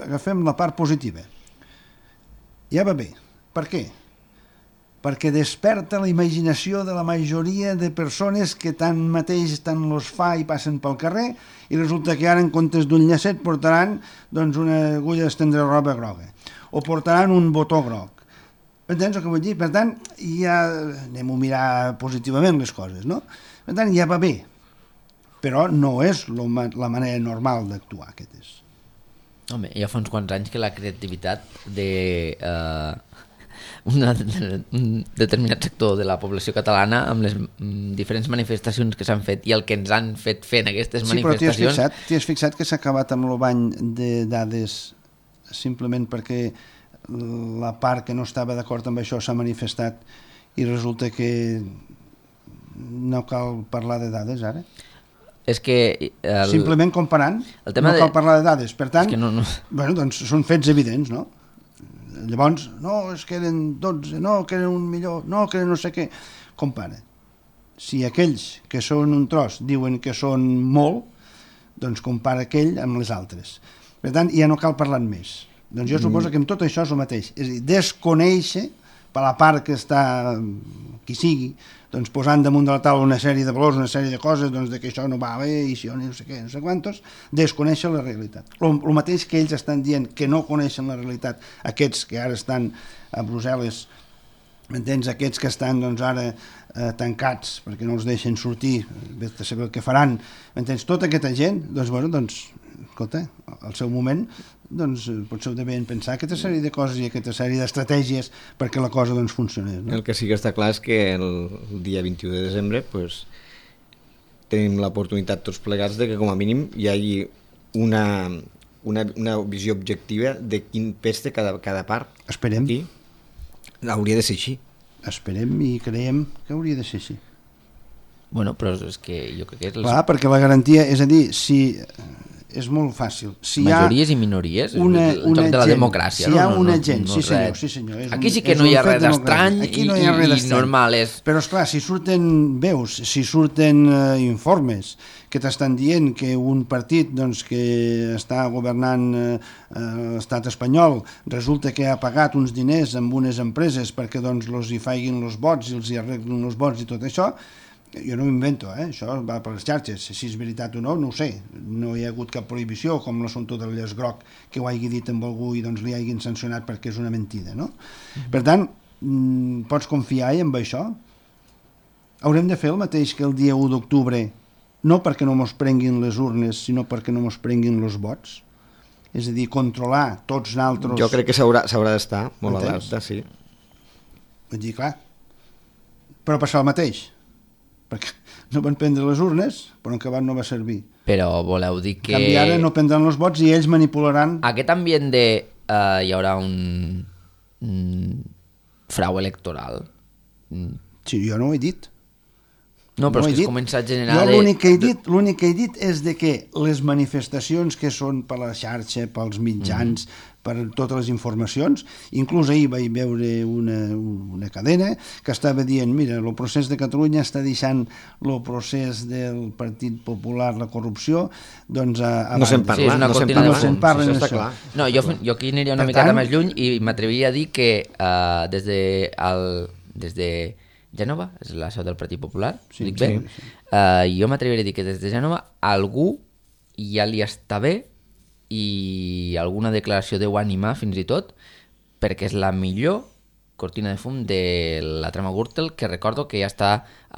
agafem la part positiva. Ja va bé. Per què? Perquè desperta la imaginació de la majoria de persones que tant mateix tant los fa i passen pel carrer i resulta que ara en comptes d'un llacet portaran doncs, una agulla d'estendre roba groga o portaran un botó groc. Entens el que vull dir? Per tant, ja anem a mirar positivament les coses, no? Per tant, ja va bé, però no és la manera normal d'actuar, aquest és. Home, ja fa uns quants anys que la creativitat de uh, una, un determinat sector de la població catalana amb les um, diferents manifestacions que s'han fet i el que ens han fet fer en aquestes sí, manifestacions... Sí, però t'hi has fixat que s'ha acabat amb el bany de dades simplement perquè la part que no estava d'acord amb això s'ha manifestat i resulta que no cal parlar de dades ara? És que... El... Simplement comparant, no cal de... parlar de dades. Per tant, no, no. Bueno, doncs són fets evidents, no? Llavors, no, és que eren dotze, no, que eren un millor, no, que eren no sé què. Compara. Si aquells que són un tros diuen que són molt, doncs compara aquell amb les altres. Per tant, ja no cal parlar més. Doncs jo suposo que amb tot això és el mateix. És a dir, desconèixer per la part que està, qui sigui, doncs posant damunt de la taula una sèrie de valors, una sèrie de coses, doncs de que això no va bé, i això no sé què, no sé quantos, desconeixen la realitat. El mateix que ells estan dient que no coneixen la realitat, aquests que ara estan a Brussel·les, m'entens, aquests que estan doncs ara eh, tancats perquè no els deixen sortir, vet a saber el que faran, m'entens, tota aquesta gent, doncs, bueno, doncs, escolta, al seu moment, doncs potser ho devien pensar aquesta sèrie de coses i aquesta sèrie d'estratègies perquè la cosa doncs funcionés. No? El que sí que està clar és que el, el dia vint-i-u de desembre pues, tenim l'oportunitat tots plegats de que com a mínim hi hagi una, una, una visió objectiva de quin pes té cada, cada part. Esperem. I hauria de ser així. Esperem i creiem que hauria de ser així. Bueno, però és que jo crec que... És... Clar, perquè la garantia, és a dir, si... és molt fàcil. Si majories i minories, una, el joc de la gent, democràcia. Si hi ha no, una no, gent, no, sí senyor, res. sí senyor. És Aquí un, sí que no hi ha res d'estrany i, no hi ha res i normal. És... Però esclar, si surten veus, si surten uh, informes que t'estan dient que un partit doncs, que està governant uh, l'estat espanyol resulta que ha pagat uns diners amb unes empreses perquè doncs, los hi faiguin els vots i els hi arreglin els vots i tot això, jo no m'invento, eh? Això va per les xarxes, si és veritat o no, no ho sé, no hi ha hagut cap prohibició, com l'assumpte del llaç groc, que ho hagi dit amb algú i doncs li hagin sancionat perquè és una mentida, no? Mm-hmm. Per tant, mm, pots confiar en això? Haurem de fer el mateix que el dia u d'octubre, no perquè no mos prenguin les urnes, sinó perquè no mos prenguin els vots? És a dir, controlar tots nosaltres... Jo crec que s'haurà d'estar molt alerta, sí. Vull dir, clar, però passar el mateix. Perquè no van prendre les urnes, però en acabat no va servir. Però voleu dir que... En canvi, ara no prendran els vots i ells manipularan... Aquest ambient de... Uh, hi haurà un... un frau electoral. Sí, jo no ho he dit. No, però no és que dit. es comença a generar... Jo de... l'únic que he dit, l'únic que he dit és de que les manifestacions que són per la xarxa, pels mitjans, mm. per totes les informacions, inclús ahir vaig veure una, una cadena que estava dient, mira, el procés de Catalunya està deixant el procés del Partit Popular, la corrupció, doncs a, a no se'n parla, sí, no se'n parla, no se'n parla, sí, això. Clar. No, jo, jo aquí aniria una Per miqueta tant, més lluny i m'atreviria a dir que uh, des de, el, des de Gènova, és la seu del Partit Popular, sí, dic bé, sí, sí. Uh, jo m'atreviria a dir que des de Gènova algú ja li està bé i alguna declaració deu animar fins i tot perquè és la millor cortina de fum de la trama Gürtel, que recordo que ja està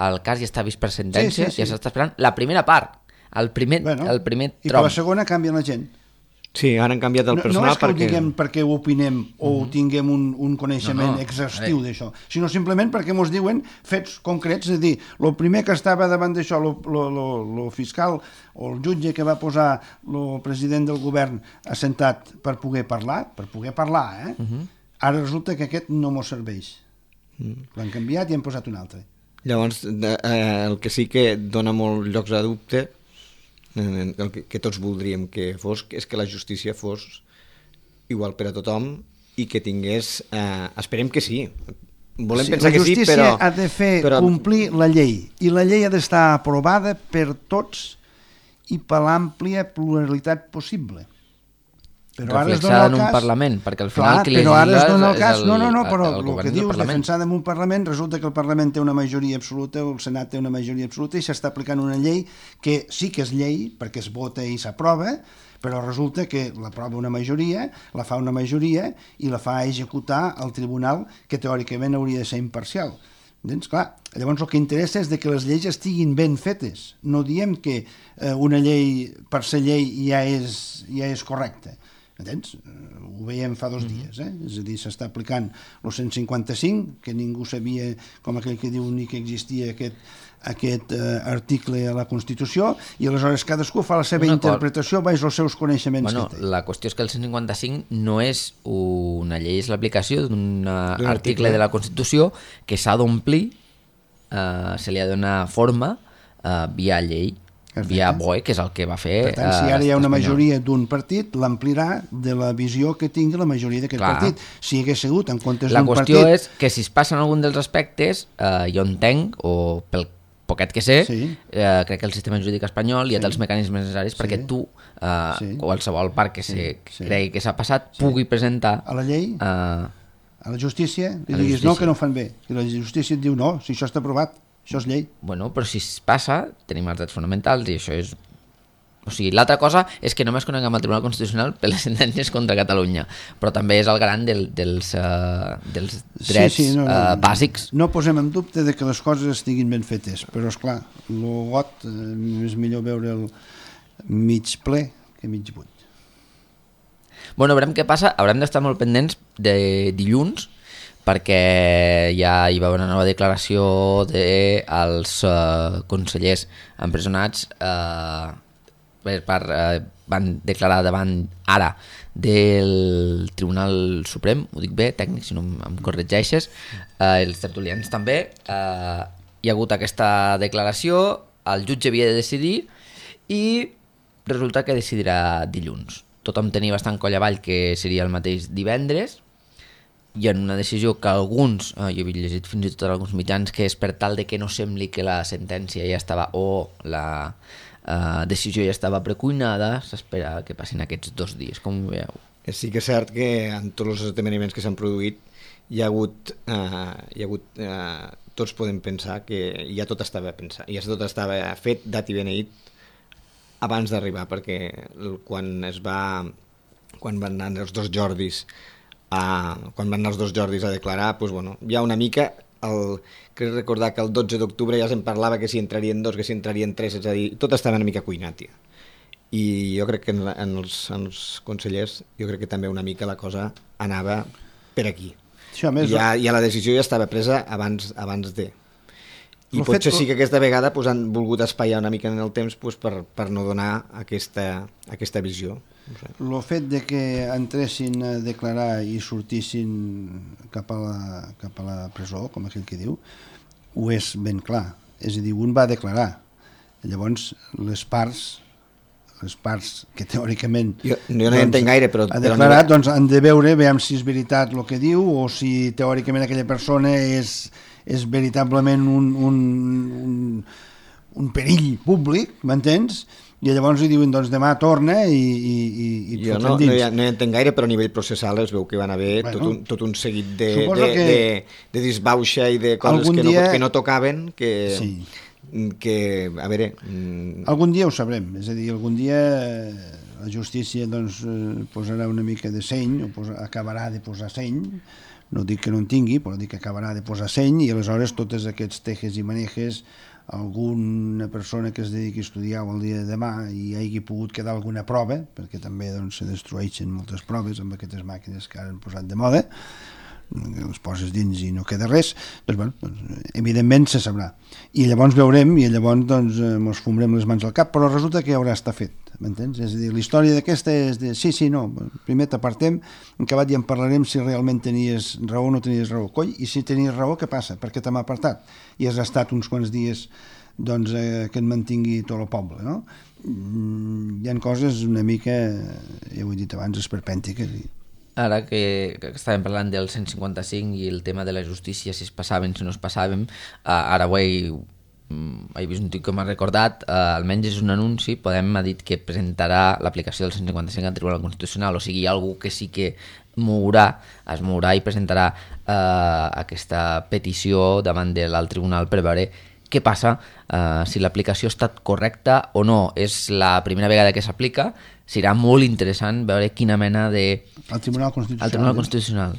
el cas ja està vist per sentència, sí, sí, sí. Ja s'està esperant la primera part, el primer, bueno, el primer trom. I per la segona canvia la gent. Sí, ara han canviat el personal no, no és que perquè... ho diguem perquè ho opinem o uh -huh. tinguem un, un coneixement no, no. exhaustiu d'això, sinó simplement perquè ens diuen fets concrets, és a dir, el primer que estava davant d'això, el fiscal o el jutge que va posar el president del govern assentat per poder parlar, per poder parlar, eh? Uh -huh. Ara resulta que aquest no mos serveix. Uh -huh. L'han canviat i han posat un altre. Llavors, eh, el que sí que dona molts llocs a dubte el que, que tots voldríem que fos, és que la justícia fos igual per a tothom i que tingués... Eh, esperem que sí. Volem sí, pensar que sí, però... La justícia ha de fer però... complir la llei, i la llei ha d'estar aprovada per tots i per l'àmplia pluralitat possible. Però ara es dona el cas... en un Parlament, perquè al final clar, qui però ara es dona el cas... el, no, no, no, però el, el, el que dius, defensada en un Parlament, resulta que el Parlament té una majoria absoluta, o el Senat té una majoria absoluta, i s'està aplicant una llei que sí que és llei, perquè es vota i s'aprova, però resulta que l'aprova una majoria, la fa una majoria, i la fa executar el tribunal, que teòricament hauria de ser imparcial. Doncs, clar, llavors el que interessa és de que les lleis estiguin ben fetes. No diem que eh, una llei, per ser llei, ja és, ja és correcta. Entens? Ho veiem fa dos dies, eh? És a dir, s'està aplicant el cent cinquanta-cinc, que ningú sabia, com aquell que diu, ni que existia aquest, aquest eh, article a la Constitució, i aleshores cadascú fa la seva una interpretació baix els seus coneixements bueno, que té. La qüestió és que el cent cinquanta-cinc no és una llei, és l'aplicació d'un article, article de la Constitució que s'ha d'omplir, eh, se li ha de donar forma eh, via llei. Via B O E, que és el que va fer... Per tant, si ara hi ha una majoria d'un partit, l'amplirà de la visió que tingui la majoria d'aquest partit. Si hagués sigut en comptes d'un partit... La qüestió és que si es passen algun dels aspectes, eh, jo entenc, o pel poquet que sé, sí. eh, crec que el sistema jurídic espanyol ja té sí. els mecanismes necessaris sí. perquè tu, eh, sí. qualsevol part que, sí. se, que sí. cregui que s'ha passat, sí. pugui presentar... A la llei? Eh, a la justícia li diguis no, que no ho fan bé, i la justícia et diu no, si això està aprovat, això és llei. Bueno, però si es passa, tenim els drets fonamentals i això és... O sigui, l'altra cosa és que només coneguem el Tribunal Constitucional per les sentències contra Catalunya, però també és el garant del, dels, uh, dels drets sí, sí, no, no, uh, bàsics. No posem en dubte de que les coses estiguin ben fetes, però esclar, el got eh, és millor veure el mig ple que mig buit. Bueno, veurem què passa, haurem d'estar molt pendents de dilluns, perquè ja hi va haver una nova declaració dels uh, consellers empresonats eh, per, per, eh, van declarar davant ara del Tribunal Suprem, ho dic bé, tècnic, si no em corregeixes, eh, els tertulians també, eh, hi ha hagut aquesta declaració, el jutge havia de decidir i resulta que decidirà dilluns. Tothom tenia bastant coll avall que seria el mateix divendres, i en una decisió que alguns, eh, jo havia llegit fins i tot en alguns mitjans, que és per tal de que no sembli que la sentència ja estava o la Uh, decisió ja estava precuinada, s'espera que passin aquests dos dies, com ho veieu? Sí que és cert que en tots els esdeveniments que s'han produït hi ha hagut, uh, hi ha hagut uh, tots podem pensar que ja tot estava pensat, ja tot estava fet, dat i beneït abans d'arribar, perquè quan es va quan van anar els dos Jordis a, quan van anar els dos Jordis a declarar, doncs, bueno, hi ha una mica el, crec recordar que el dotze d'octubre ja se'n parlava que si entrarien dos, que si entrarien tres, és a dir, tot estava una mica cuinat ja. I jo crec que en, en, els, en els consellers jo crec que també una mica la cosa anava per aquí. Sí, més, ja, ja la decisió ja estava presa abans, abans de... I potser fet... sí que aquesta vegada pues, han volgut espaiar una mica en el temps pues, per, per no donar aquesta, aquesta visió. No sé. El fet de que entressin a declarar i sortissin cap a, la, cap a la presó, com aquell que diu, ho és ben clar. És a dir, un va declarar. Llavors, les parts, les parts que teòricament... Jo, jo no doncs, hi entenc gaire, però... Ha declarat, doncs han de veure, veiem si és veritat el que diu o si teòricament aquella persona és, és veritablement un, un, un, un perill públic, m'entens? I llavors li diuen, doncs demà torna i, i, i jo no, no, hi, no hi entenc gaire, però a nivell processal es veu que van haver bueno, tot, un, tot un seguit de, de, que de, de disbauxa i de coses que no, dia... que no tocaven, que, sí. que, a veure... Algun dia ho sabrem, és a dir, algun dia la justícia doncs, posarà una mica de seny, o posa, acabarà de posar seny, no dic que no en tingui, però dic que acabarà de posar seny, i aleshores tots aquests tejes i manejes, alguna persona que es dediqui a estudiar el dia de demà i hagi pogut quedar alguna prova, perquè també doncs, se destrueixen moltes proves amb aquestes màquines que ara han posat de moda, les poses dins i no queda res, doncs, bueno, doncs, evidentment se sabrà. I llavors veurem i llavors doncs, ens fumrem les mans al cap, però resulta que haurà estat fet, m'entens? És a dir, la història d'aquesta és de sí, sí, no, primer t'apartem, en acabat ja en parlarem si realment tenies raó o no tenies raó. Coi, i si tenies raó, què passa? Per què te m'ha apartat? I has estat uns quants dies doncs, eh, que et mantingui tot el poble, no? Mm, hi ha coses una mica, ja ho he dit abans, esperpèntiques. I... Ara que, que estàvem parlant del cent cinquanta-cinc i el tema de la justícia, si es passaven, si no es passaven, uh, ara ho he, he vist un tio que m'ha recordat, uh, almenys és un anunci, Podem ha dit que presentarà l'aplicació del cent cinquanta-cinc al Tribunal Constitucional, o sigui, algú que sí que mourà, es mourà i presentarà uh, aquesta petició davant del Tribunal per veure què passa, uh, si l'aplicació ha estat correcta o no. És la primera vegada que s'aplica, serà molt interessant veure quina mena de... El Tribunal Constitucional. El Tribunal Constitucional.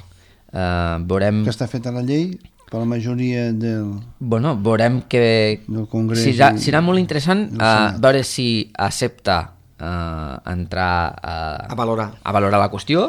Uh, veurem... Que està feta la llei per la majoria del... Bueno, veurem que... Del Congrés. Serà, serà molt interessant uh, veure si accepta uh, entrar uh, a valorar. a valorar la qüestió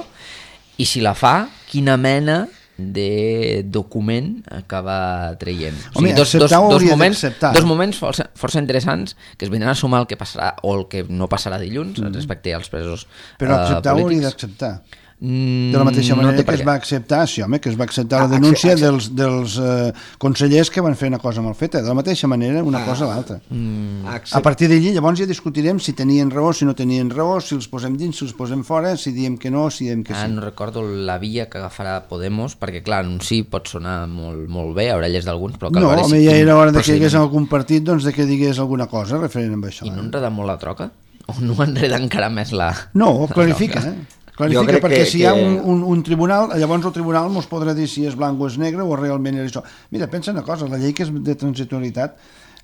i si la fa, quina mena de document acaba traient. Home, o sigui, dos, dos, dos, moments, dos moments força, força interessants que es vindran a sumar el que passarà o el que no passarà dilluns mm. respecte als presos però acceptar uh, ho hauria d'acceptar. De la mateixa manera no que es va acceptar, sí, home, que es va acceptar ah, la denúncia accept, accept. dels, dels uh, consellers que van fer una cosa mal feta. De la mateixa manera, una ah, cosa a l'altra. Mm, a partir d'allí, llavors ja discutirem si tenien raó, si no tenien raó, si els posem dins, si els posem fora, si diem que no, si diem que ah, sí. No recordo la via que agafarà Podemos, perquè clar, un sí pot sonar molt, molt bé a orelles d'alguns, però cal no, veure si... No, ja era hora de que hi hagués algun partit doncs, de que digués alguna cosa referent amb això. I no enreda molt la troca? O no enreda encara més la... No, clarifica, eh? Clarifica, perquè que, si hi ha un, un, un tribunal, llavors el tribunal ens podrà dir si és blanc o és negre o realment és això. Mira, pensa una cosa, la llei que és de transitorietat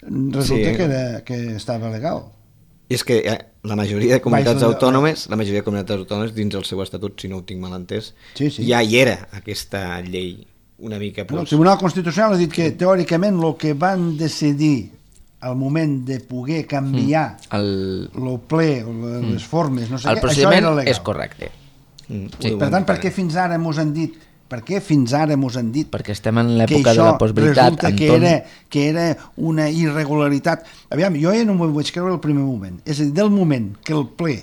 resulta sí. que, era, que estava legal. I és que eh, la majoria de comunitats Baix, autònomes, la majoria de comunitats autònomes dins el seu estatut, si no ho tinc mal entès, sí, sí. ja hi era aquesta llei una mica... Pues... El Tribunal Constitucional ha dit que teòricament el que van decidir al moment de poder canviar mm. el... el ple, les mm. formes, no sé el què, procediment això era legal. És correcte. Mm. Sí. Per tant, per què fins ara mos han dit per què fins ara mos han dit perquè estem en l'època de la postveritat, Anton... que era, que era una irregularitat. Aviam, jo ja no m'ho vaig creure el primer moment. És a dir, del moment que el ple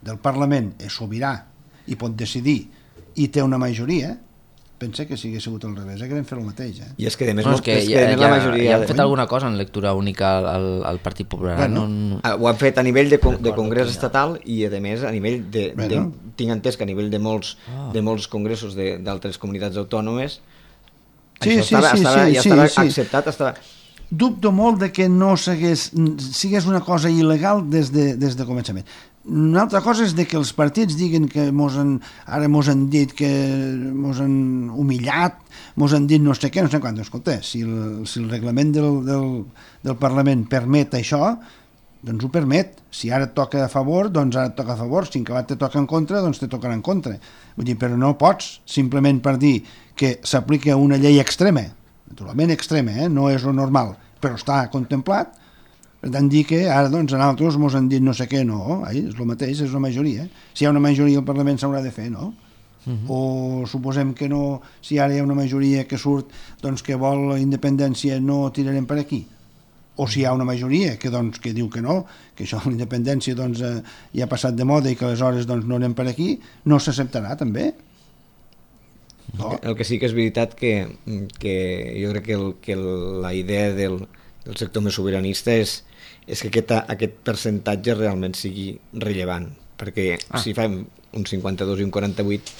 del Parlament és sobirà i pot decidir i té una majoria, pensa que si hagués sigut al revés, haguem fet el mateix. Eh? I és que, a més, no, és que, és que ja, ja, la majoria... Ja han fet de... alguna cosa en lectura única al, al Partit Popular. Bueno, no... Ho han fet a nivell de, de congrés estatal i, a més, a nivell de... Bueno. de tinc entès que a nivell de molts, oh. de molts congressos d'altres comunitats autònomes sí, això sí, estava, sí, estava, sí, ja estava sí, acceptat. Sí. Estava... Dubto molt de que no sigués, sigués una cosa il·legal des de, des de començament. Una altra cosa és de que els partits diguen que mos han, ara mos han dit que mos han humillat, mos han dit no sé què, no sé quant. Escolta, si el, si el reglament del, del, del Parlament permet això, doncs ho permet. Si ara et toca a favor, doncs ara et toca a favor. Si en acabat te toca en contra, doncs te tocarà en contra. Vull dir, però no pots, simplement per dir que s'aplica una llei extrema, naturalment extrema, eh? No és lo normal, però està contemplat. Per tant, dir que ara doncs, a nosaltres ens han dit no sé què, no, ai, és el mateix, és la majoria. Si hi ha una majoria al Parlament s'haurà de fer, no? Uh -huh. O suposem que no, si ara hi ha una majoria que surt doncs, que vol la independència, no tirarem per aquí. O si hi ha una majoria que, doncs, que diu que no, que això la independència doncs, eh, ja ha passat de moda i que aleshores doncs, no anem per aquí, no s'acceptarà també. No. El que sí que és veritat que, que jo crec que, el, que la idea del, del sector més sobiranista és, és que aquest, aquest percentatge realment sigui rellevant, perquè ah. si fem un cinquanta-dos i un quaranta-vuit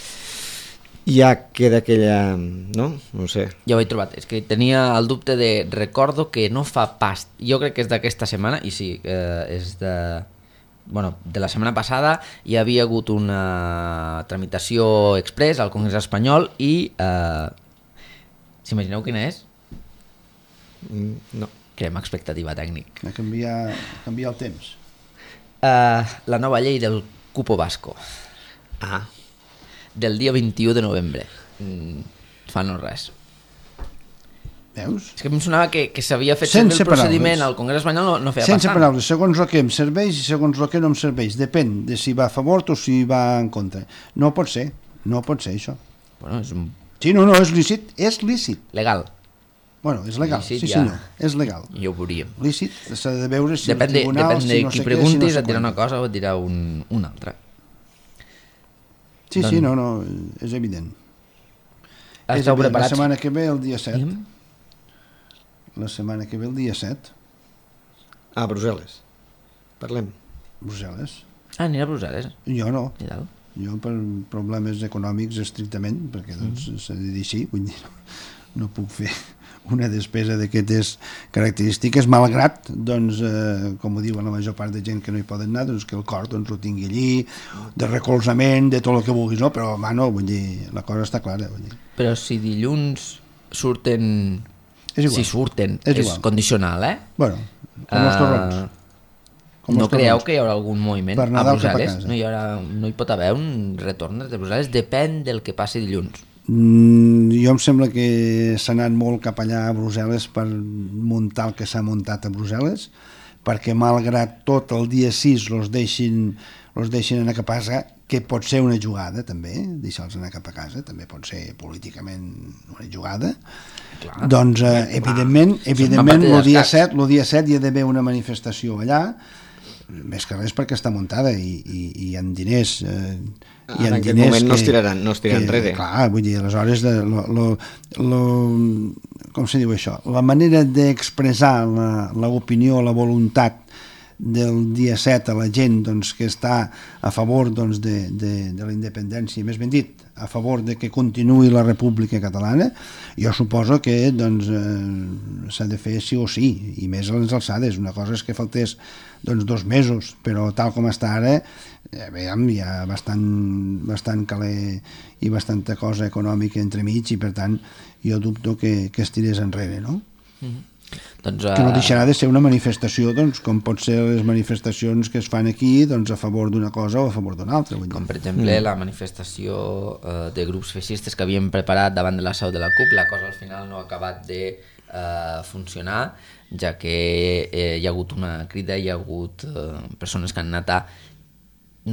ja queda aquella... no? No sé. Ja ho he trobat, és que tenia el dubte de... recordo que no fa pas, jo crec que és d'aquesta setmana, i sí, eh, és de... bueno, de la setmana passada hi havia hagut una tramitació express al Congrés espanyol i eh, s'imagineu quina és? No. Creem expectativa tècnic. A canviar, canviar el temps. Uh, la nova llei del cupo basco. Ah. Del dia vint-i-u de novembre. Mm, fa no res. Veus? És que em sonava que, que s'havia fet sense el procediment al Congrés espanyol, no, no feia sense passant. Paraules, segons el que em serveix i segons el que no em serveix. Depèn de si va a favor o si va en contra. No pot ser, no pot ser això. Bueno, és un... Sí, no, no, és lícit, és lícit. Legal. Bueno, és legal, lícit, sí, ja. senyor, és legal. Jo ho veuríem. Lícit, s'ha de veure si depèn el tribunal, de, depèn de si no qui sé preguntis, què, si no et dirà una cosa o et dirà un, una altra. Sí, doncs... sí, no, no, és evident. És Esteu evident. preparats? La setmana que ve, el dia set. Mm? La setmana que ve, el dia set. A Brussel·les. Parlem. Brussel·les. Ah, anirà a Brussel·les? Jo no. I tal? Jo per problemes econòmics estrictament, perquè doncs mm. s'ha de dir així, vull dir, no, no puc fer una despesa d'aquestes característiques, malgrat, doncs, eh, com ho diuen la major part de gent que no hi poden anar, doncs que el cor doncs, ho tingui allí, de recolzament, de tot el que vulguis, no? Però, home, no, vull dir, la cosa està clara. Vull dir. Però si dilluns surten... És igual. Si surten, és, és condicional, eh? Bueno, com els torrons. Uh, no creieu que hi haurà algun moviment a Brussel·les? No hi, haurà, no hi pot haver un retorn de Brussel·les? Depèn del que passi dilluns. Mm, jo em sembla que s'ha anat molt cap allà a Brussel·les per muntar el que s'ha muntat a Brussel·les, perquè malgrat tot el dia sis los deixin, los deixin anar cap a casa, que pot ser una jugada també, deixar-los anar cap a casa, també pot ser políticament una jugada. Clar, doncs eh, evidentment, evidentment el dia set, el dia set hi ha d'haver una manifestació allà, més que res perquè està muntada i, i, i hi ha diners eh, hi ha en aquest moment que, no es tiraran, no es tiraran que, enrere. Clar, vull dir, aleshores de, lo, lo, lo, com se diu això, la manera d'expressar l'opinió, la, la voluntat del dia set a la gent doncs, que està a favor doncs, de, de, de la independència, més ben dit, a favor de que continuï la República Catalana, jo suposo que doncs, eh, s'ha de fer sí o sí, i més a les alçades. Una cosa és que faltés doncs, dos mesos, però tal com està ara, Ja, veiem, hi ha bastant, bastant caler i bastanta cosa econòmica entremig i per tant jo dubto que, que es tirés enrere, no? Mm-hmm. Doncs, uh... que no deixarà de ser una manifestació, doncs, com pot ser les manifestacions que es fan aquí, doncs, a favor d'una cosa o a favor d'una altra. Com per exemple mm. la manifestació uh, de grups feixistes que havien preparat davant de la seu de la C U P, la cosa al final no ha acabat de uh, funcionar, ja que eh, hi ha hagut una crida, hi ha hagut uh, persones que han anat a,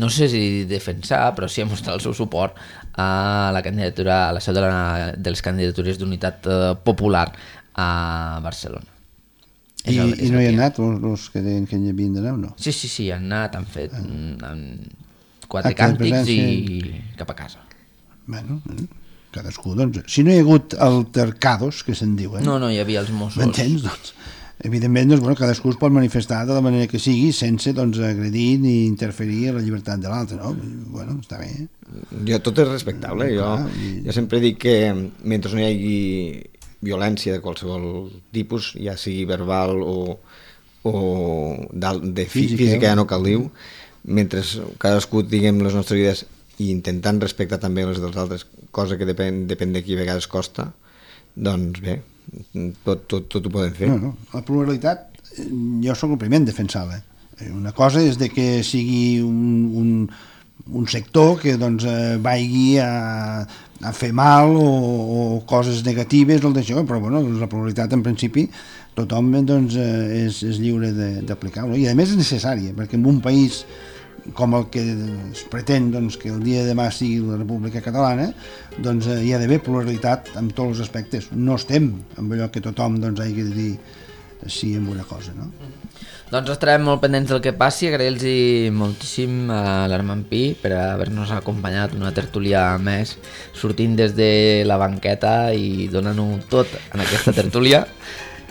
no sé si defensar, però sí a mostrar el seu suport a la candidatura, a la seu de, la, de les candidatures d'unitat uh, popular a Barcelona. I, el, i no hi ha anat els que deien que hi havien d'anar o no? Sí, sí, sí, han anat, han fet ah. han quatre Acte càntics i cap a casa. Bueno, cadascú, doncs, si no hi ha hagut altercados, que se'n diuen... No, no, hi havia els Mossos. M'entens, doncs? Evidentment, doncs, bueno, cadascú es pot manifestar de la manera que sigui sense doncs, agredir ni interferir a la llibertat de l'altre, no? Bueno, està bé. Jo, tot és respectable. Jo, Clar, i... jo sempre dic que mentre no hi hagi violència de qualsevol tipus, ja sigui verbal o, o de física, física ja no cal dir, mentre cadascú diguem les nostres vides i intentant respectar també les dels altres, cosa que depèn, depèn de qui a vegades costa, doncs bé, tot, tot, tot ho podem fer. No, no. La pluralitat, jo sóc el primer en defensar-la. Una cosa és de que sigui un, un, un sector que doncs, vagi a, a fer mal o, o coses negatives o el d'això, però bueno, la pluralitat en principi tothom doncs, és, és lliure d'aplicar-ho, i a més és necessària, perquè en un país com el que es pretén doncs, que el dia de demà sigui la República Catalana, doncs hi ha d'haver pluralitat en tots els aspectes. No estem amb allò que tothom doncs, hagi de dir sí amb una cosa, no? Doncs estarem molt pendents del que passi. Agrair-los moltíssim a l'Armand Pi per haver-nos acompanyat una tertúlia més, sortint des de la banqueta i donant-ho tot en aquesta tertúlia,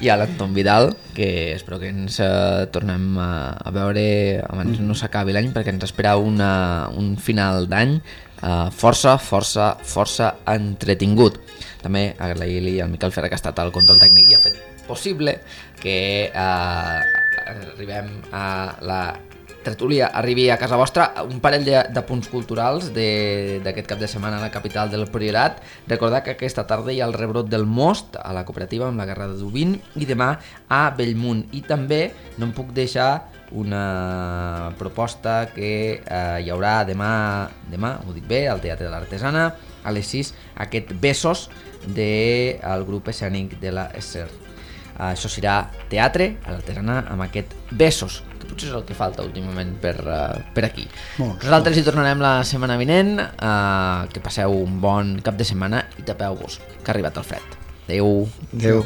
i a l'Anton Vidal, que espero que ens eh, tornem a, a veure abans no s'acabi l'any, perquè ens espera una, un final d'any eh, força, força, força entretingut. També agrair-li al Miquel Ferrer, que ha estat al control tècnic i ha fet possible que eh, arribem a la tertúlia, arribi a casa vostra. Un parell de, de punts culturals d'aquest cap de setmana a la capital del Priorat. Recordar que aquesta tarda hi ha el rebrot del Most a la cooperativa amb la Guerra de Dubín, i demà a Bellmunt. I també no em puc deixar una proposta que eh, hi haurà demà, demà, ho dic bé, al Teatre de l'Artesana, a les sis, aquest Besos del grup escènic de la Esser. Això serà teatre a l'Artesana amb aquest Besos, que potser és el que falta últimament per, uh, per aquí. Molt, Nosaltres molt. Hi tornarem la setmana vinent. Uh, que passeu un bon cap de setmana i tapeu-vos, que ha arribat el fred. Adéu. Adéu.